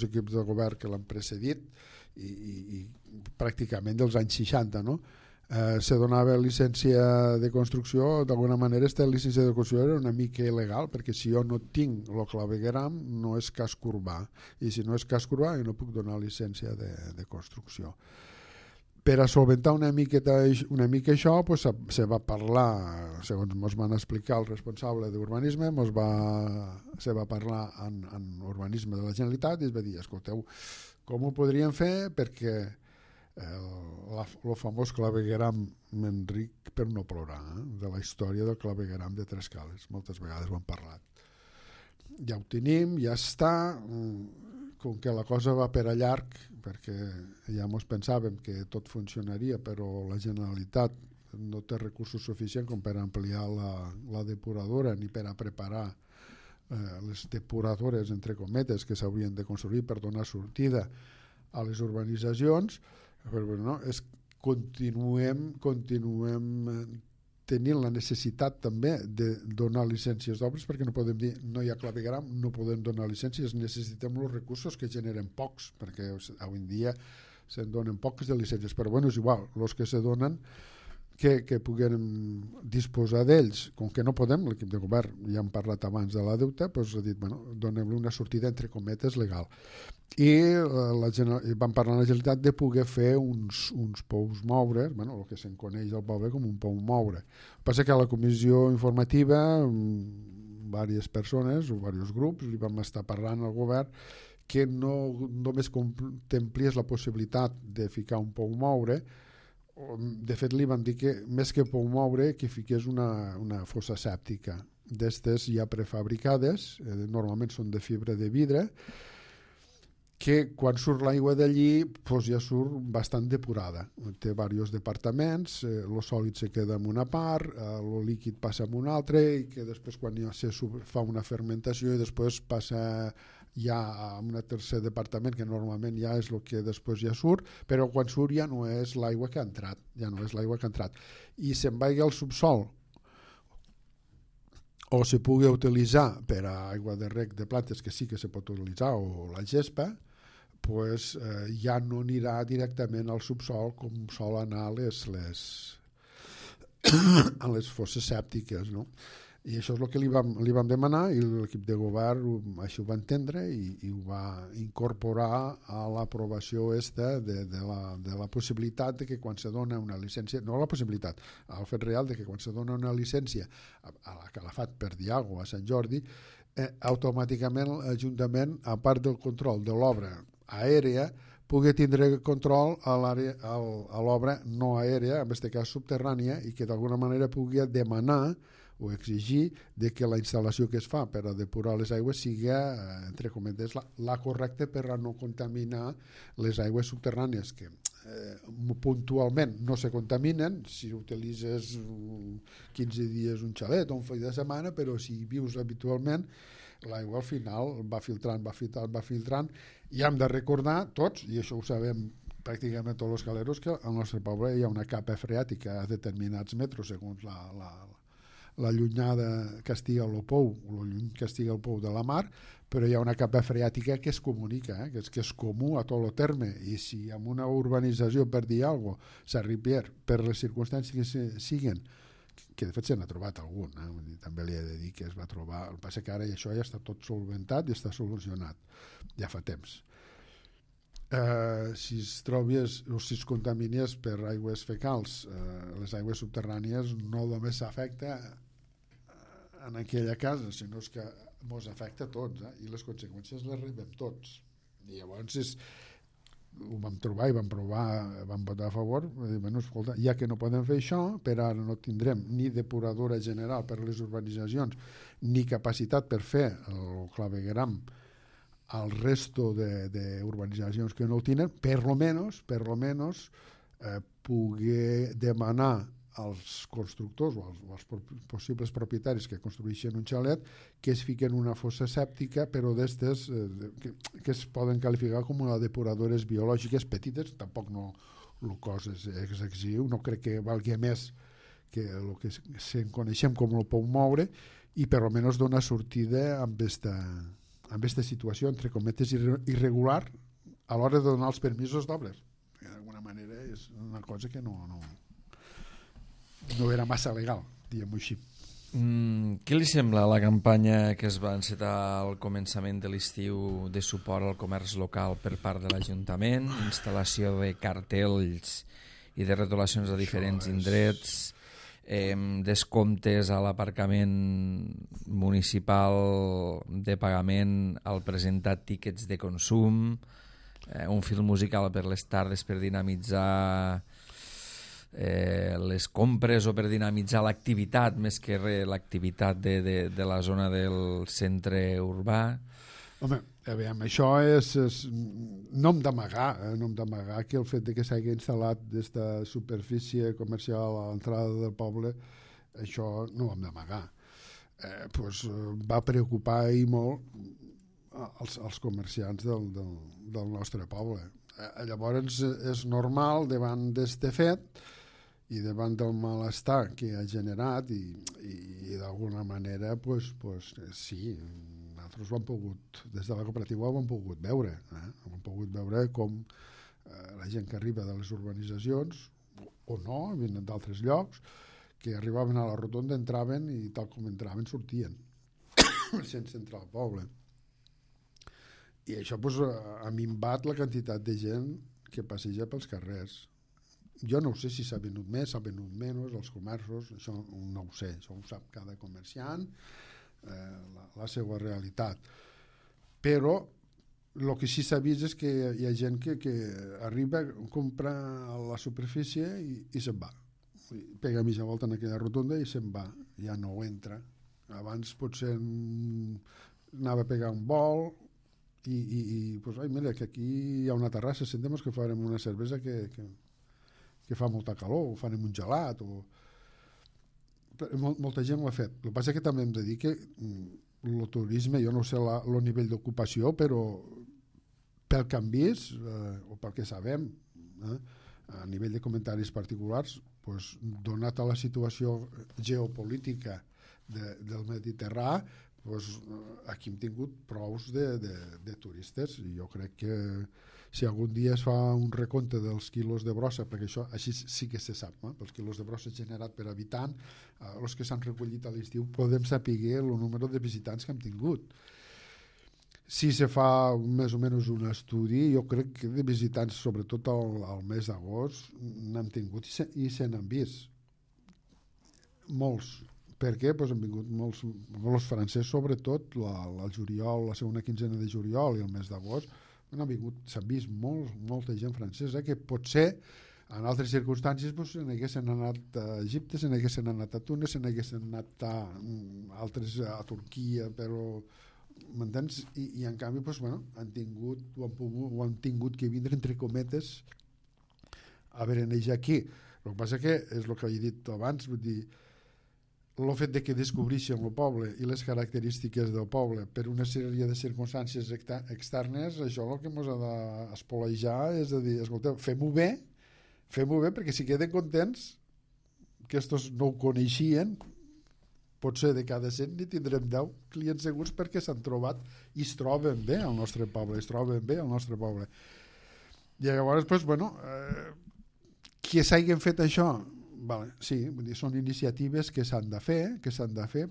equips de govern que l'han precedit, i pràcticament dels anys 60, no? Se donava llicència de construcció, d'alguna manera aquesta llicència de construcció era una mica il·legal, perquè si jo no tinc el clavegueram no és casc urbà, i si no és casc urbà jo no puc donar llicència de construcció. Per a solventar una mica això, se va parlar, segons ens van explicar el responsable d'urbanisme, se va parlar en urbanisme de la Generalitat i es va dir, escolteu, com ho podríem fer perquè el famós clavegueram Enric per no plorar, de la història del clavegueram de Trescales, moltes vegades ho hem parlat. Ja ho tenim, ja està, com que la cosa va per a llarg, perquè ja ens pensàvem que tot funcionaria, però la Generalitat no té recursos suficients com per ampliar la depuradora ni per a preparar les depuradores, entre cometes, que s'haurien de construir per donar sortida a les urbanitzacions, però no, continuem tenint la necessitat també de donar llicències d'obres, perquè no podem dir no hi ha clavegueram, no podem donar llicències, necessitem els recursos que generen pocs, perquè avui en dia se'n donen pocs de llicències, però bueno, és igual, els que se donen que puguem disposar d'ells, com que no podem, l'equip de govern, ja hem parlat abans de la deuta, doncs ha dit, bueno, donem-li una sortida entre cometes legal. I van parlar a la Generalitat de poder fer uns pous moure, bueno, el que se'n coneix al poble com un pou moure. El que passa que a la comissió informativa diverses persones o diversos grups li vam estar parlant al govern que no només contemplies la possibilitat de ficar un pou moure. De fet li van dir que més que pou moure que fiqués una fossa sèptica d'estes ja prefabricades, normalment són de fibra de vidre, que quan surt l'aigua d'allí doncs ja surt bastant depurada. Té diversos departaments, el sòlid se queda en una part, el líquid passa en una altra, i que després quan ja se fa una fermentació i després passa ja a un tercer departament, que normalment ja és el que després ja surt, però quan surt ja no és l'aigua que ha entrat, i se'n vagi al subsol o se pugui utilitzar per a aigua de reg de plantes, que sí que se pot utilitzar, o la gespa, pues, ja no anirà directament al subsol com sol anar a les fosses sèptiques, no? I això és el que li vam demanar, i l'equip de govern això ho va entendre i ho va incorporar a l'aprovació de la possibilitat de que quan se dona una llicència, no la possibilitat, el fet real de que quan se dona una llicència a la Calafat per Diago a Sant Jordi, automàticament l'Ajuntament, a part del control de l'obra aèria, pugui tindre control a l'obra no aèria, en aquest cas subterrània, i que d'alguna manera pugui demanar o exigir de que la instal·lació que es fa per a depurar les aigües sigui, entre cometes, la correcta per a no contaminar les aigües subterrànies, que puntualment no se contaminen si utilitzes 15 dies un xalet o un fill de setmana, però si vius habitualment l'aigua al final va filtrant, i hem de recordar tots, i això ho sabem pràcticament tots els caleros, que al nostre poble hi ha una capa freàtica a determinats metres segons la llunyada que estiga el pou, o el lluny que estiga el pou de la mar, però hi ha una capa freàtica que es comunica, que és comú a tot el terme, i si en una urbanització, per dir alguna cosa, s'arriba per les circumstàncies que siguin, que de fet se n'ha trobat algun, també li he de dir que es va trobar, el que passa que ara això ja està tot solventat i està solucionat, ja fa temps. Si es trobies o si es contaminies per aigües fecals, les aigües subterrànies no només s'afecta en aquella casa, sinó que ens afecta a tots, i les conseqüències les rebem tots. I llavors ho vam trobar i vam votar a favor, bueno, escolta, ja que no podem fer això, per ara no tindrem ni depuradora general per a les urbanitzacions ni capacitat per fer el clavegueram al resto d'urbanitzacions que no el tenen, per lo menos poder demanar als constructors o als possibles propietaris que construeixen un xalet que es fiquen una fossa sèptica, però d'estes que es poden qualificar com a depuradores biològiques petites, tampoc no el cost és excessiu, no crec que valgui més que el que se'n coneixem com el pou moure, i per almenys donar sortida amb aquesta situació, entre cometes, irregular a l'hora de donar els permisos d'obres. D'alguna manera és una cosa que no era massa legal, diguem-ho així. Què li sembla la campanya que es va encetar al començament de l'estiu de suport al comerç local per part de l'Ajuntament, instal·lació de cartells i de retolacions a diferents indrets, descomptes a l'aparcament municipal de pagament al presentar tíquets de consum, un fil musical per les tardes per dinamitzar les compres o per dinamitzar l'activitat més que l'activitat de la zona del centre urbà. Home, aviam, això és no hem d'amagar que el fet de que s'hagi instal·lat aquesta superfície comercial a l'entrada del poble, això no ho hem d'amagar. Va preocupar i molt els comerciants del nostre poble. Llavors és normal, davant d'aquest fet i davant del malestar que ha generat i d'alguna manera sí, nosaltres ho hem pogut, des de la cooperativa ho hem pogut veure com la gent que arriba de les urbanitzacions o no, venen d'altres llocs, que arribaven a la rotonda, entraven i tal com entraven sortien sense entrar al poble. I això ha minvat la quantitat de gent que passeja pels carrers. Jo no sé si s'ha venut més, s'ha venut menys, els comerços, això no ho sé, això ho sap cada comerciant, la seva realitat. Però el que sí s'ha vist és que hi ha gent que arriba, compra a la superfície i se'n va. Pega mitja volta en aquella rotonda i se'n va, ja no entra. Abans potser anava a pegar un vol i pues, ai, mira, que aquí hi ha una terrassa, sentem que farem una cervesa que fa molta calor, o farem un gelat, molta gent ho ha fet. El que passa és que també hem de dir que el turisme, jo no sé el nivell d'ocupació, però pel que hem vist, o pel que sabem, a nivell de comentaris particulars, pues, donat a la situació geopolítica del Mediterrà, pues, aquí hem tingut prous de turistes, i jo crec que si algun dia es fa un recompte dels quilos de brossa, perquè això així sí que se sap, els quilos de brossa generat per habitant, els que s'han recollit a l'estiu, podem saber el número de visitants que hem tingut. Si se fa més o menys un estudi, jo crec que de visitants, sobretot al mes d'agost, n'hem tingut i se n'han vist. Molts. Per què? Pues han vingut molts francesos, sobretot al juliol, la segona quinzena de juliol i el mes d'agost, s'han vist molta gent francesa que potser en altres circumstàncies se n'haguessin anat a Egipte, se n'haguessin anat a Túnez, se n'haguessin anat a Turquia, però m'entens? I en canvi han tingut que vindre entre cometes a berenejar aquí. El que passa que és el que he dit abans, vull dir, el fet de que descobreixen el poble i les característiques del poble per una sèrie de circumstàncies externes, això el que ens ha d'espolejar és a dir, escolteu, fem-ho bé perquè si queden contents que estos no ho coneixien, potser de cada 100 n'hi tindrem 10 clients segurs perquè s'han trobat i es troben bé al nostre poble, I llavors, que s'hagin fet això, vale, sí, vull dir, són iniciatives que s'han de fer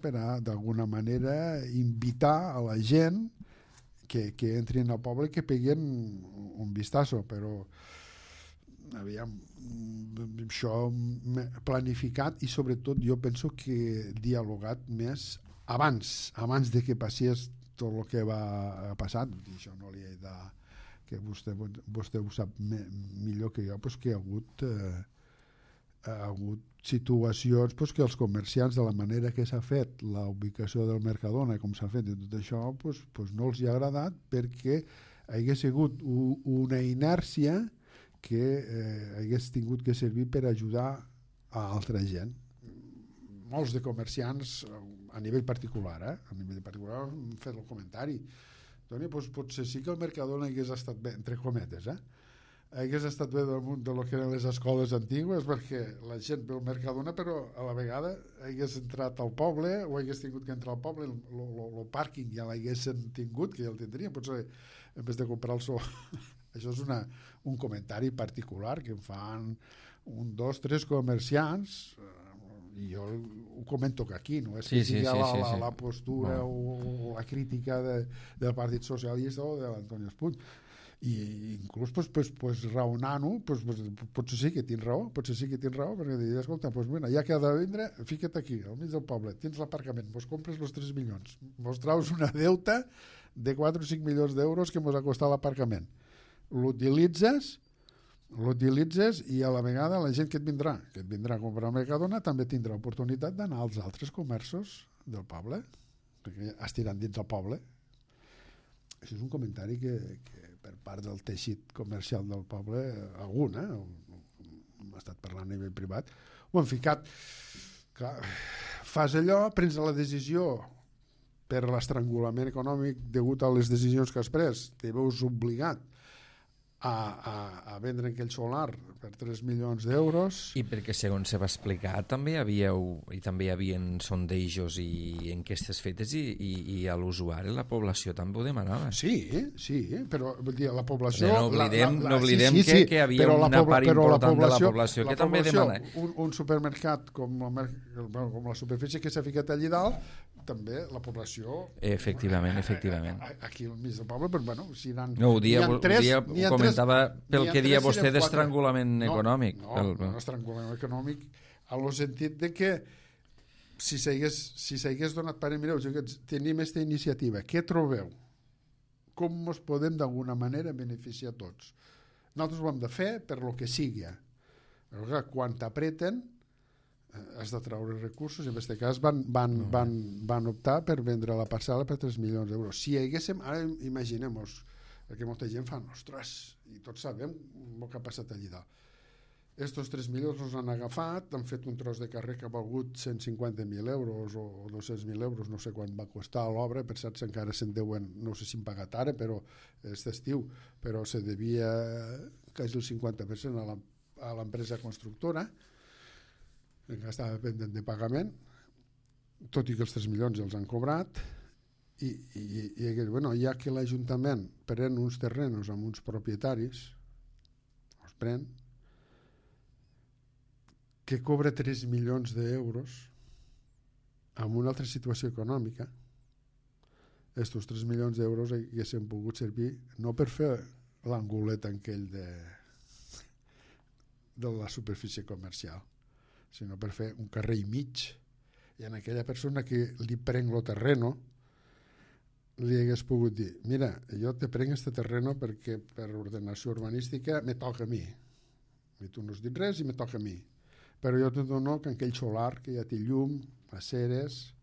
per a, d'alguna manera, invitar a la gent que entrin al poble i que peguen un vistazo, però aviam, això planificat i sobretot jo penso que dialogat més abans de que passés tot el que va passar, i això no li he de que vostè ho sap millor que jo, pues que hi ha hagut situacions que els comerciants, de la manera que s'ha fet la ubicació del Mercadona, com s'ha fet i tot això, no els hi ha agradat perquè hagués sigut una inèrcia que hagués tingut que servir per ajudar a altra gent. Molts de comerciants a nivell particular, han fet el comentari. Toni, potser sí que el Mercadona hagués estat bé, entre cometes, hagués estat bé del que eren les escoles antigues, perquè la gent ve al Mercadona, però a la vegada hagués entrat al poble o hagués tingut que entrar al poble, el pàrquing ja l'haguessin tingut, que ja el tindrien, potser en vez de comprar el so. Això és un comentari particular que em fan 1, 2, 3 comerciants, i jo ho comento que aquí, no és que sigui la postura o la crítica del Partit Socialista o de l'Antoni Espuny. I inclús raonant-ho, potser sí que tens raó, perquè dir, escolta, mira, ja que ha de vindre, fica't aquí, al mig del poble, tens l'aparcament, compres els 3 milions, traus una deuta de 4 o 5 milions d'euros que ha costat l'aparcament. L'utilitzes i a la vegada la gent que et vindrà a comprar al Mercadona també tindrà oportunitat d'anar als altres comerços del poble, perquè estiran dins del poble. Això és un comentari que per part del teixit comercial del poble, algun, hem estat parlant a nivell privat, ho han ficat. Clar, fas allò, prens la decisió per l'estrangulament econòmic degut a les decisions que has pres, te veus obligat a vendre aquell solar per 3 milions d'euros. I perquè, segons se va explicar, també hi havia sondejos i enquestes fetes i a l'usuari, la població també ho demanava. Sí, però vull dir, la població... No oblidem que hi havia una part important de la població que també demana. Un supermercat com la superfície que s'ha ficat allà dalt, també la població... Efectivament. Aquí al mig del poble, però bueno, si no, ho comentava pel que dia vostè d'estrangulament econòmic. No, estrangulament econòmic en el sentit de que si s'hagués donat pare, mireu, tenim aquesta iniciativa, què trobeu? Com ens podem d'alguna manera beneficiar tots? Nosaltres ho hem de fer per lo que sigui. Però quan t'apreten has de treure recursos, i en aquest cas van optar per vendre la parcel·la per 3 milions d'euros. Si haguéssim, ara imaginem-nos, perquè molta gent fa, ostres, i tots sabem el que ha passat allà dalt. Estos 3 milions els han agafat, han fet un tros de carrer que ha valgut 150.000 euros o 200.000 euros, no sé quan va costar l'obra, per cert, encara se'n deuen, no sé si han pagat ara, però és d'estiu, però se devia quasi el 50% a l'empresa constructora, que estava pendent de pagament, tot i que els 3 milions els han cobrat, i ja que l'Ajuntament pren uns terrenos amb uns propietaris, els pren, que cobra 3 milions d'euros en una altra situació econòmica, estos 3 milions d'euros haguessin pogut servir no per fer l'angulet aquell de la superfície comercial, sinó per fer un carrer i mig, i a aquella persona que li prenc el terreno li hagués pogut dir, mira, jo te prenc este terreno perquè per ordenació urbanística me toca a mi, i tu no has dit res i me toca a mi, però jo te dono que aquell solar que ja té llum, aceres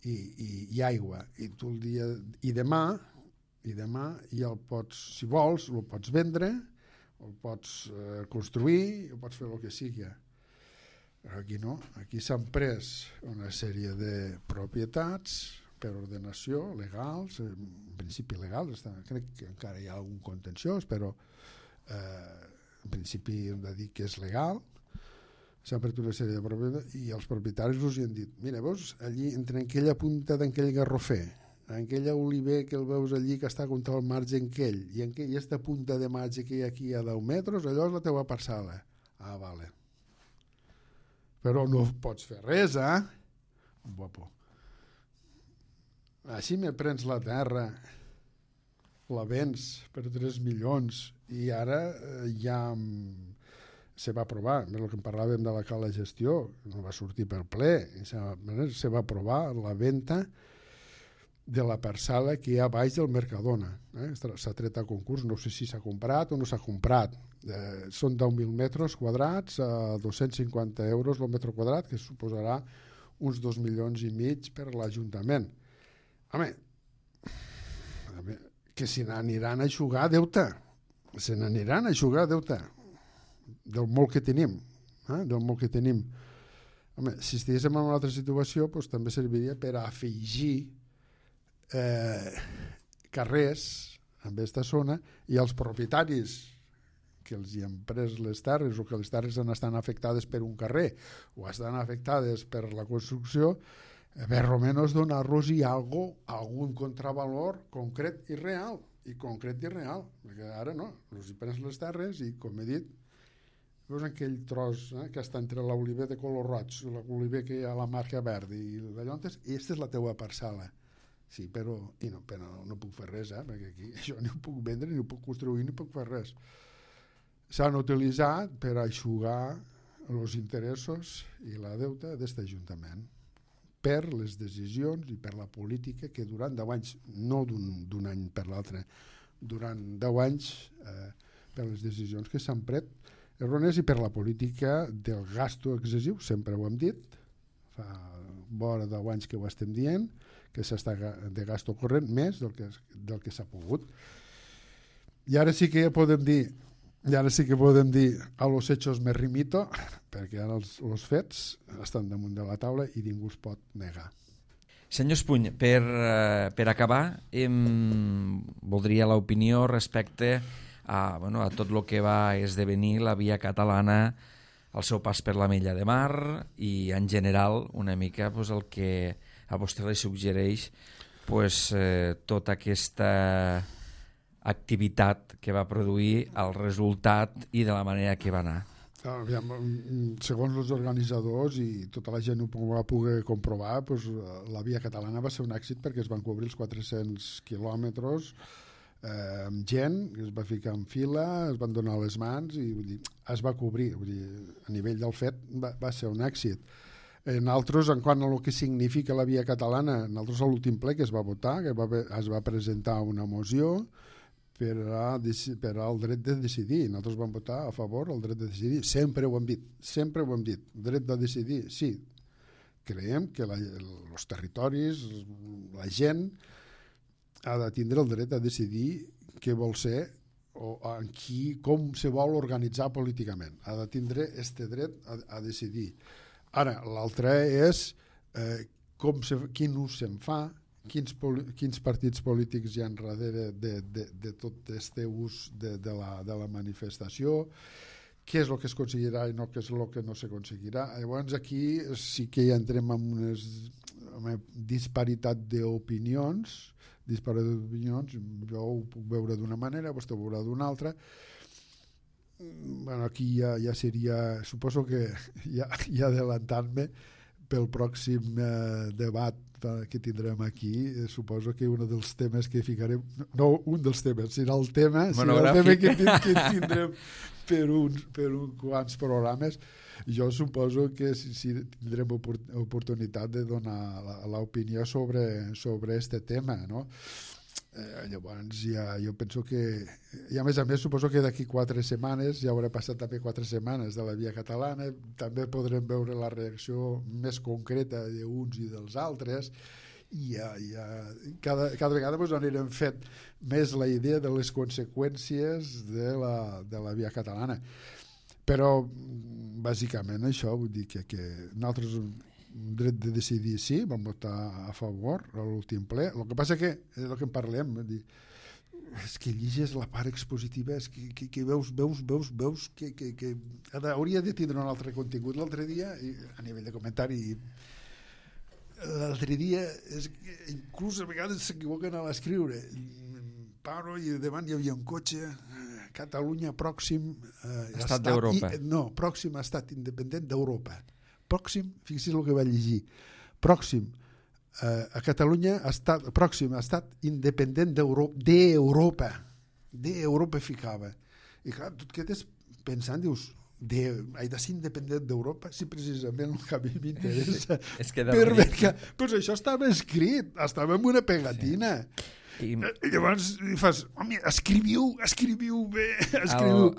i aigua, i tu el dia i demà ja el pots, si vols, el pots vendre, el pots construir, o pots fer el que sigui. Aquí no, aquí s'han pres una sèrie de propietats per ordenació legals, en principi legals, crec que encara hi ha algun contenciós, però en principi hem de dir que és legal, s'han pres una sèrie de propietats i els propietaris us hi han dit, mira, veus, allí entre aquella punta d'aquell garrofer, aquella oliver que el veus allí que està contra el marge aquell, i aquesta punta de marge que hi ha aquí a 10 metres, allò és la teva parcel·la. Ah, vale. Però no pots fer res, Guapo. Així me prens la terra, la vens per 3 milions i ara ja se va aprovar, el que parlàvem de la cala gestió, no va sortir per ple, se va aprovar la venda de la parcel·la que hi ha baix del Mercadona. S'ha tret a concurs, no sé si s'ha comprat o no s'ha comprat. Són 10.000 metres quadrats a 250 euros el metre quadrat, que suposarà uns 2 milions i mig per l'Ajuntament. Home, que se n'aniran a jugar deute. Se n'aniran a jugar deute del molt que tenim. Del molt que tenim. Home, si estiguéssim en una altra situació, doncs també serviria per afegir carrers en aquesta zona i els propietaris que els hi han pres les terres o que les terres estan afectades per un carrer o estan afectades per la construcció, per almenys donar-los-hi algun contravalor concret i real, perquè ara no, els hi prens les terres i, com he dit, veus aquell tros que està entre l'oliver de color roig i l'oliver que hi ha a la marca verda i d'allò, aquesta és la teua parcel·la. Sí, però no puc fer res, perquè aquí això ni ho puc vendre, ni ho puc construir, ni puc fer res. S'han utilitzat per aixugar els interessos i la deuta d'aquest Ajuntament per les decisions i per la política que durant 10 anys, no d'un any per l'altre, durant 10 anys per les decisions que s'han pres errònies i per la política del gasto excessiu, sempre ho hem dit, fa vora 10 anys que ho estem dient, que s'està de gasto corrent més del que s'ha pogut. I ara sí que podem dir a los hechos me remito, perquè ara els fets estan damunt de la taula i ningú es pot negar. Senyor Espuny, per acabar, voldria l'opinió respecte a tot el que va esdevenir la via catalana, el seu pas per l'Ametlla de Mar i, en general, una mica el que a vostè li suggereix tota aquesta activitat que va produir, el resultat i de la manera que va anar. Segons els organitzadors i tota la gent ho va poder comprovar, la via catalana va ser un èxit perquè es van cobrir els 400 quilòmetres amb gent, es va ficar en fila, es van donar les mans i es va cobrir. A nivell del fet va ser un èxit. Nosaltres, en quant a el que significa la via catalana, nosaltres a l'últim ple que es va votar, que es va presentar una moció per al dret de decidir. Nosaltres vam votar a favor del dret de decidir. Sempre ho hem dit. Dret de decidir, sí. Creiem que els territoris, la gent, ha de tindre el dret a decidir què vol ser o com se vol organitzar políticament. Ha de tindre aquest dret a decidir. Ara, l'altre és quin ús se'n fa, quins partits polítics hi ha darrere de tot aquest ús de la manifestació, què és el que es aconseguirà i què és el que no s'aconseguirà. Llavors aquí sí que ja entrem en una disparitat d'opinions, jo ho puc veure d'una manera, vostè ho veurà d'una altra. Aquí ja seria, suposo que ja adelantant-me pel pròxim debat que tindrem aquí, suposo que un dels temes que ficarem, no un dels temes, serà el tema que tindrem per uns quants programes. Jo suposo que sí tindrem oportunitat de donar l'opinió sobre aquest tema, no? Llavors jo penso que, i a més suposo que d'aquí 4 setmanes, ja haurà passat també 4 setmanes de la via catalana, també podrem veure la reacció més concreta d'uns i dels altres, i cada vegada anirem fent més la idea de les conseqüències de la via catalana. Però bàsicament això, vull dir que nosaltres dret de decidir sí, vam votar a favor a l'últim ple. El que passa que és el que en parlem, és que lliges la part expositiva, és que veus que hauria de tindre un altre contingut. L'altre dia, a nivell de comentari, inclús a vegades s'equivoquen a l'escriure. Paro i davant hi havia un cotxe, Catalunya pròxim estat d'Europa. No, pròxim estat independent d'Europa. Pròxim, fixi's el que va llegir, pròxim a Catalunya, pròxim estat independent d'Europa, ficava. I clar, tu et quedes pensant, dius, he de ser independent d'Europa? Si precisament el que a mi m'interessa. Però això estava escrit, estava en una pegatina. I llavors fas, home, escriviu bé,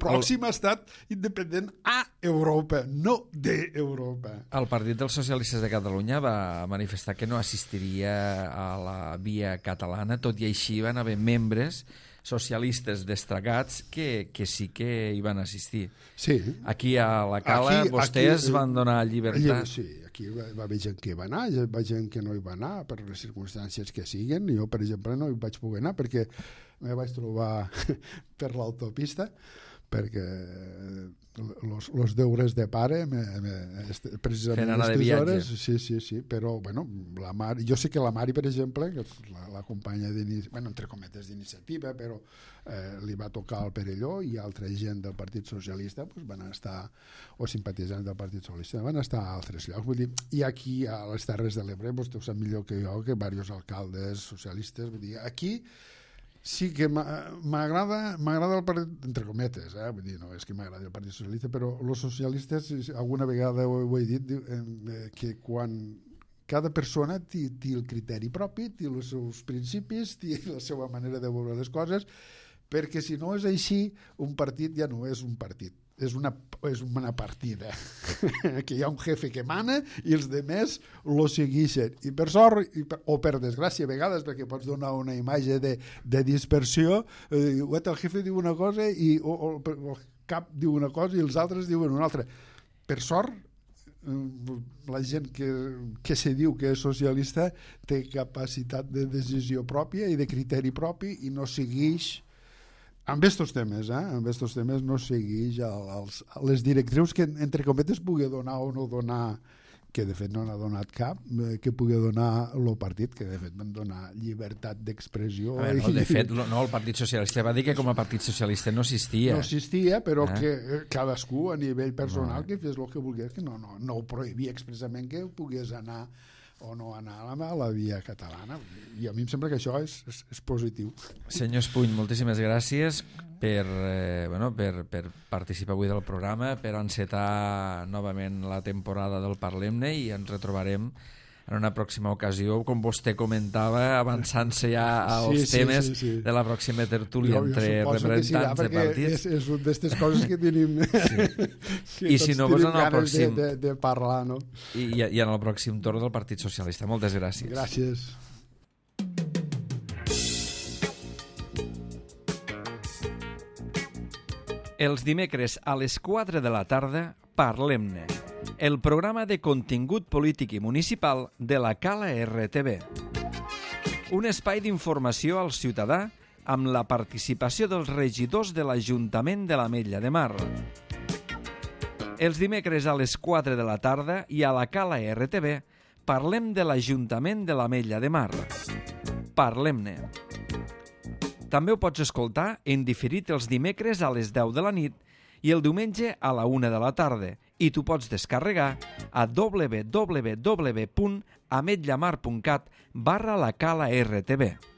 pròxim estat independent a Europa, no d'Europa. El Partit dels Socialistes de Catalunya va manifestar que no assistiria a la via catalana, tot i així van haver membres socialistes destacats que sí que hi van assistir. Sí. Aquí a la Cala vostès van donar llibertat. Sí, aquí va haver gent que hi va anar, hi va gent que no hi va anar per les circumstàncies que siguen. Jo, per exemple, no hi vaig poder anar perquè me vaig trobar per l'autopista, perquè los deures de pare precisament fent anar de viatge. Sí, però bueno, jo sé que la Mari, per exemple, que és la companya entre cometes d'iniciativa, però li va tocar el Perelló, i altra gent del Partit Socialista van estar, o simpatitzants del Partit Socialista, van estar a altres llocs. Vull dir, i aquí a les Terres de l'Ebre, vostè ho sap millor que jo, que diversos alcaldes socialistes, vull dir, aquí sí que m'agrada el partit, entre cometes, vull dir, no és que m'agradi el Partit Socialista, però els socialistes, alguna vegada ho he dit, que quan cada persona té el criteri propi, té els seus principis, té la seva manera de veure les coses, perquè si no és així, un partit ja no és un partit, és una partida que hi ha un jefe que mana i els demés lo segueixen, i per sort o per desgràcia a vegades, perquè pots donar una imatge de dispersió, el jefe diu una cosa i el cap diu una cosa i els altres diuen una altra. Per sort la gent que se diu que és socialista té capacitat de decisió pròpia i de criteri propi i no segueix Amb estos temes, no segueix les directrius que, entre cometes, pugui donar o no donar, que de fet no n'ha donat cap, que pugui donar el partit, que de fet van donar llibertat d'expressió. De fet, el Partit Socialista va dir que com a Partit Socialista no existia. No existia, però que cadascú a nivell personal que fes el que volgués, que no ho prohibia expressament que pogués anar o no anar a la via catalana. I a mi em sembla que això és positiu. Senyor Espuny, moltíssimes gràcies per participar avui del programa, per encetar novament la temporada del Parlem-ne, i ens retrobarem en una pròxima ocasió, com vostè comentava, avançant-se ja als temes de la pròxima tertúlia entre representants de partits. És una d'aquestes coses que tenim I si no, en el pròxim de parlar, no? I en el pròxim torn del Partit Socialista. Moltes gràcies. Gràcies. Els dimecres a les 4 de la tarda, Parlem-ne, el programa de contingut polític i municipal de la Cala RTV. Un espai d'informació al ciutadà amb la participació dels regidors de l'Ajuntament de l'Ametlla de Mar. Els dimecres a les 4 de la tarda i a la Cala RTV parlem de l'Ajuntament de l'Ametlla de Mar. Parlem-ne. També ho pots escoltar en diferit els dimecres a les 10 de la nit i el diumenge a la 1 de la tarda, i tu pots descarregar a www.ametllamar.cat/la Cala RTV.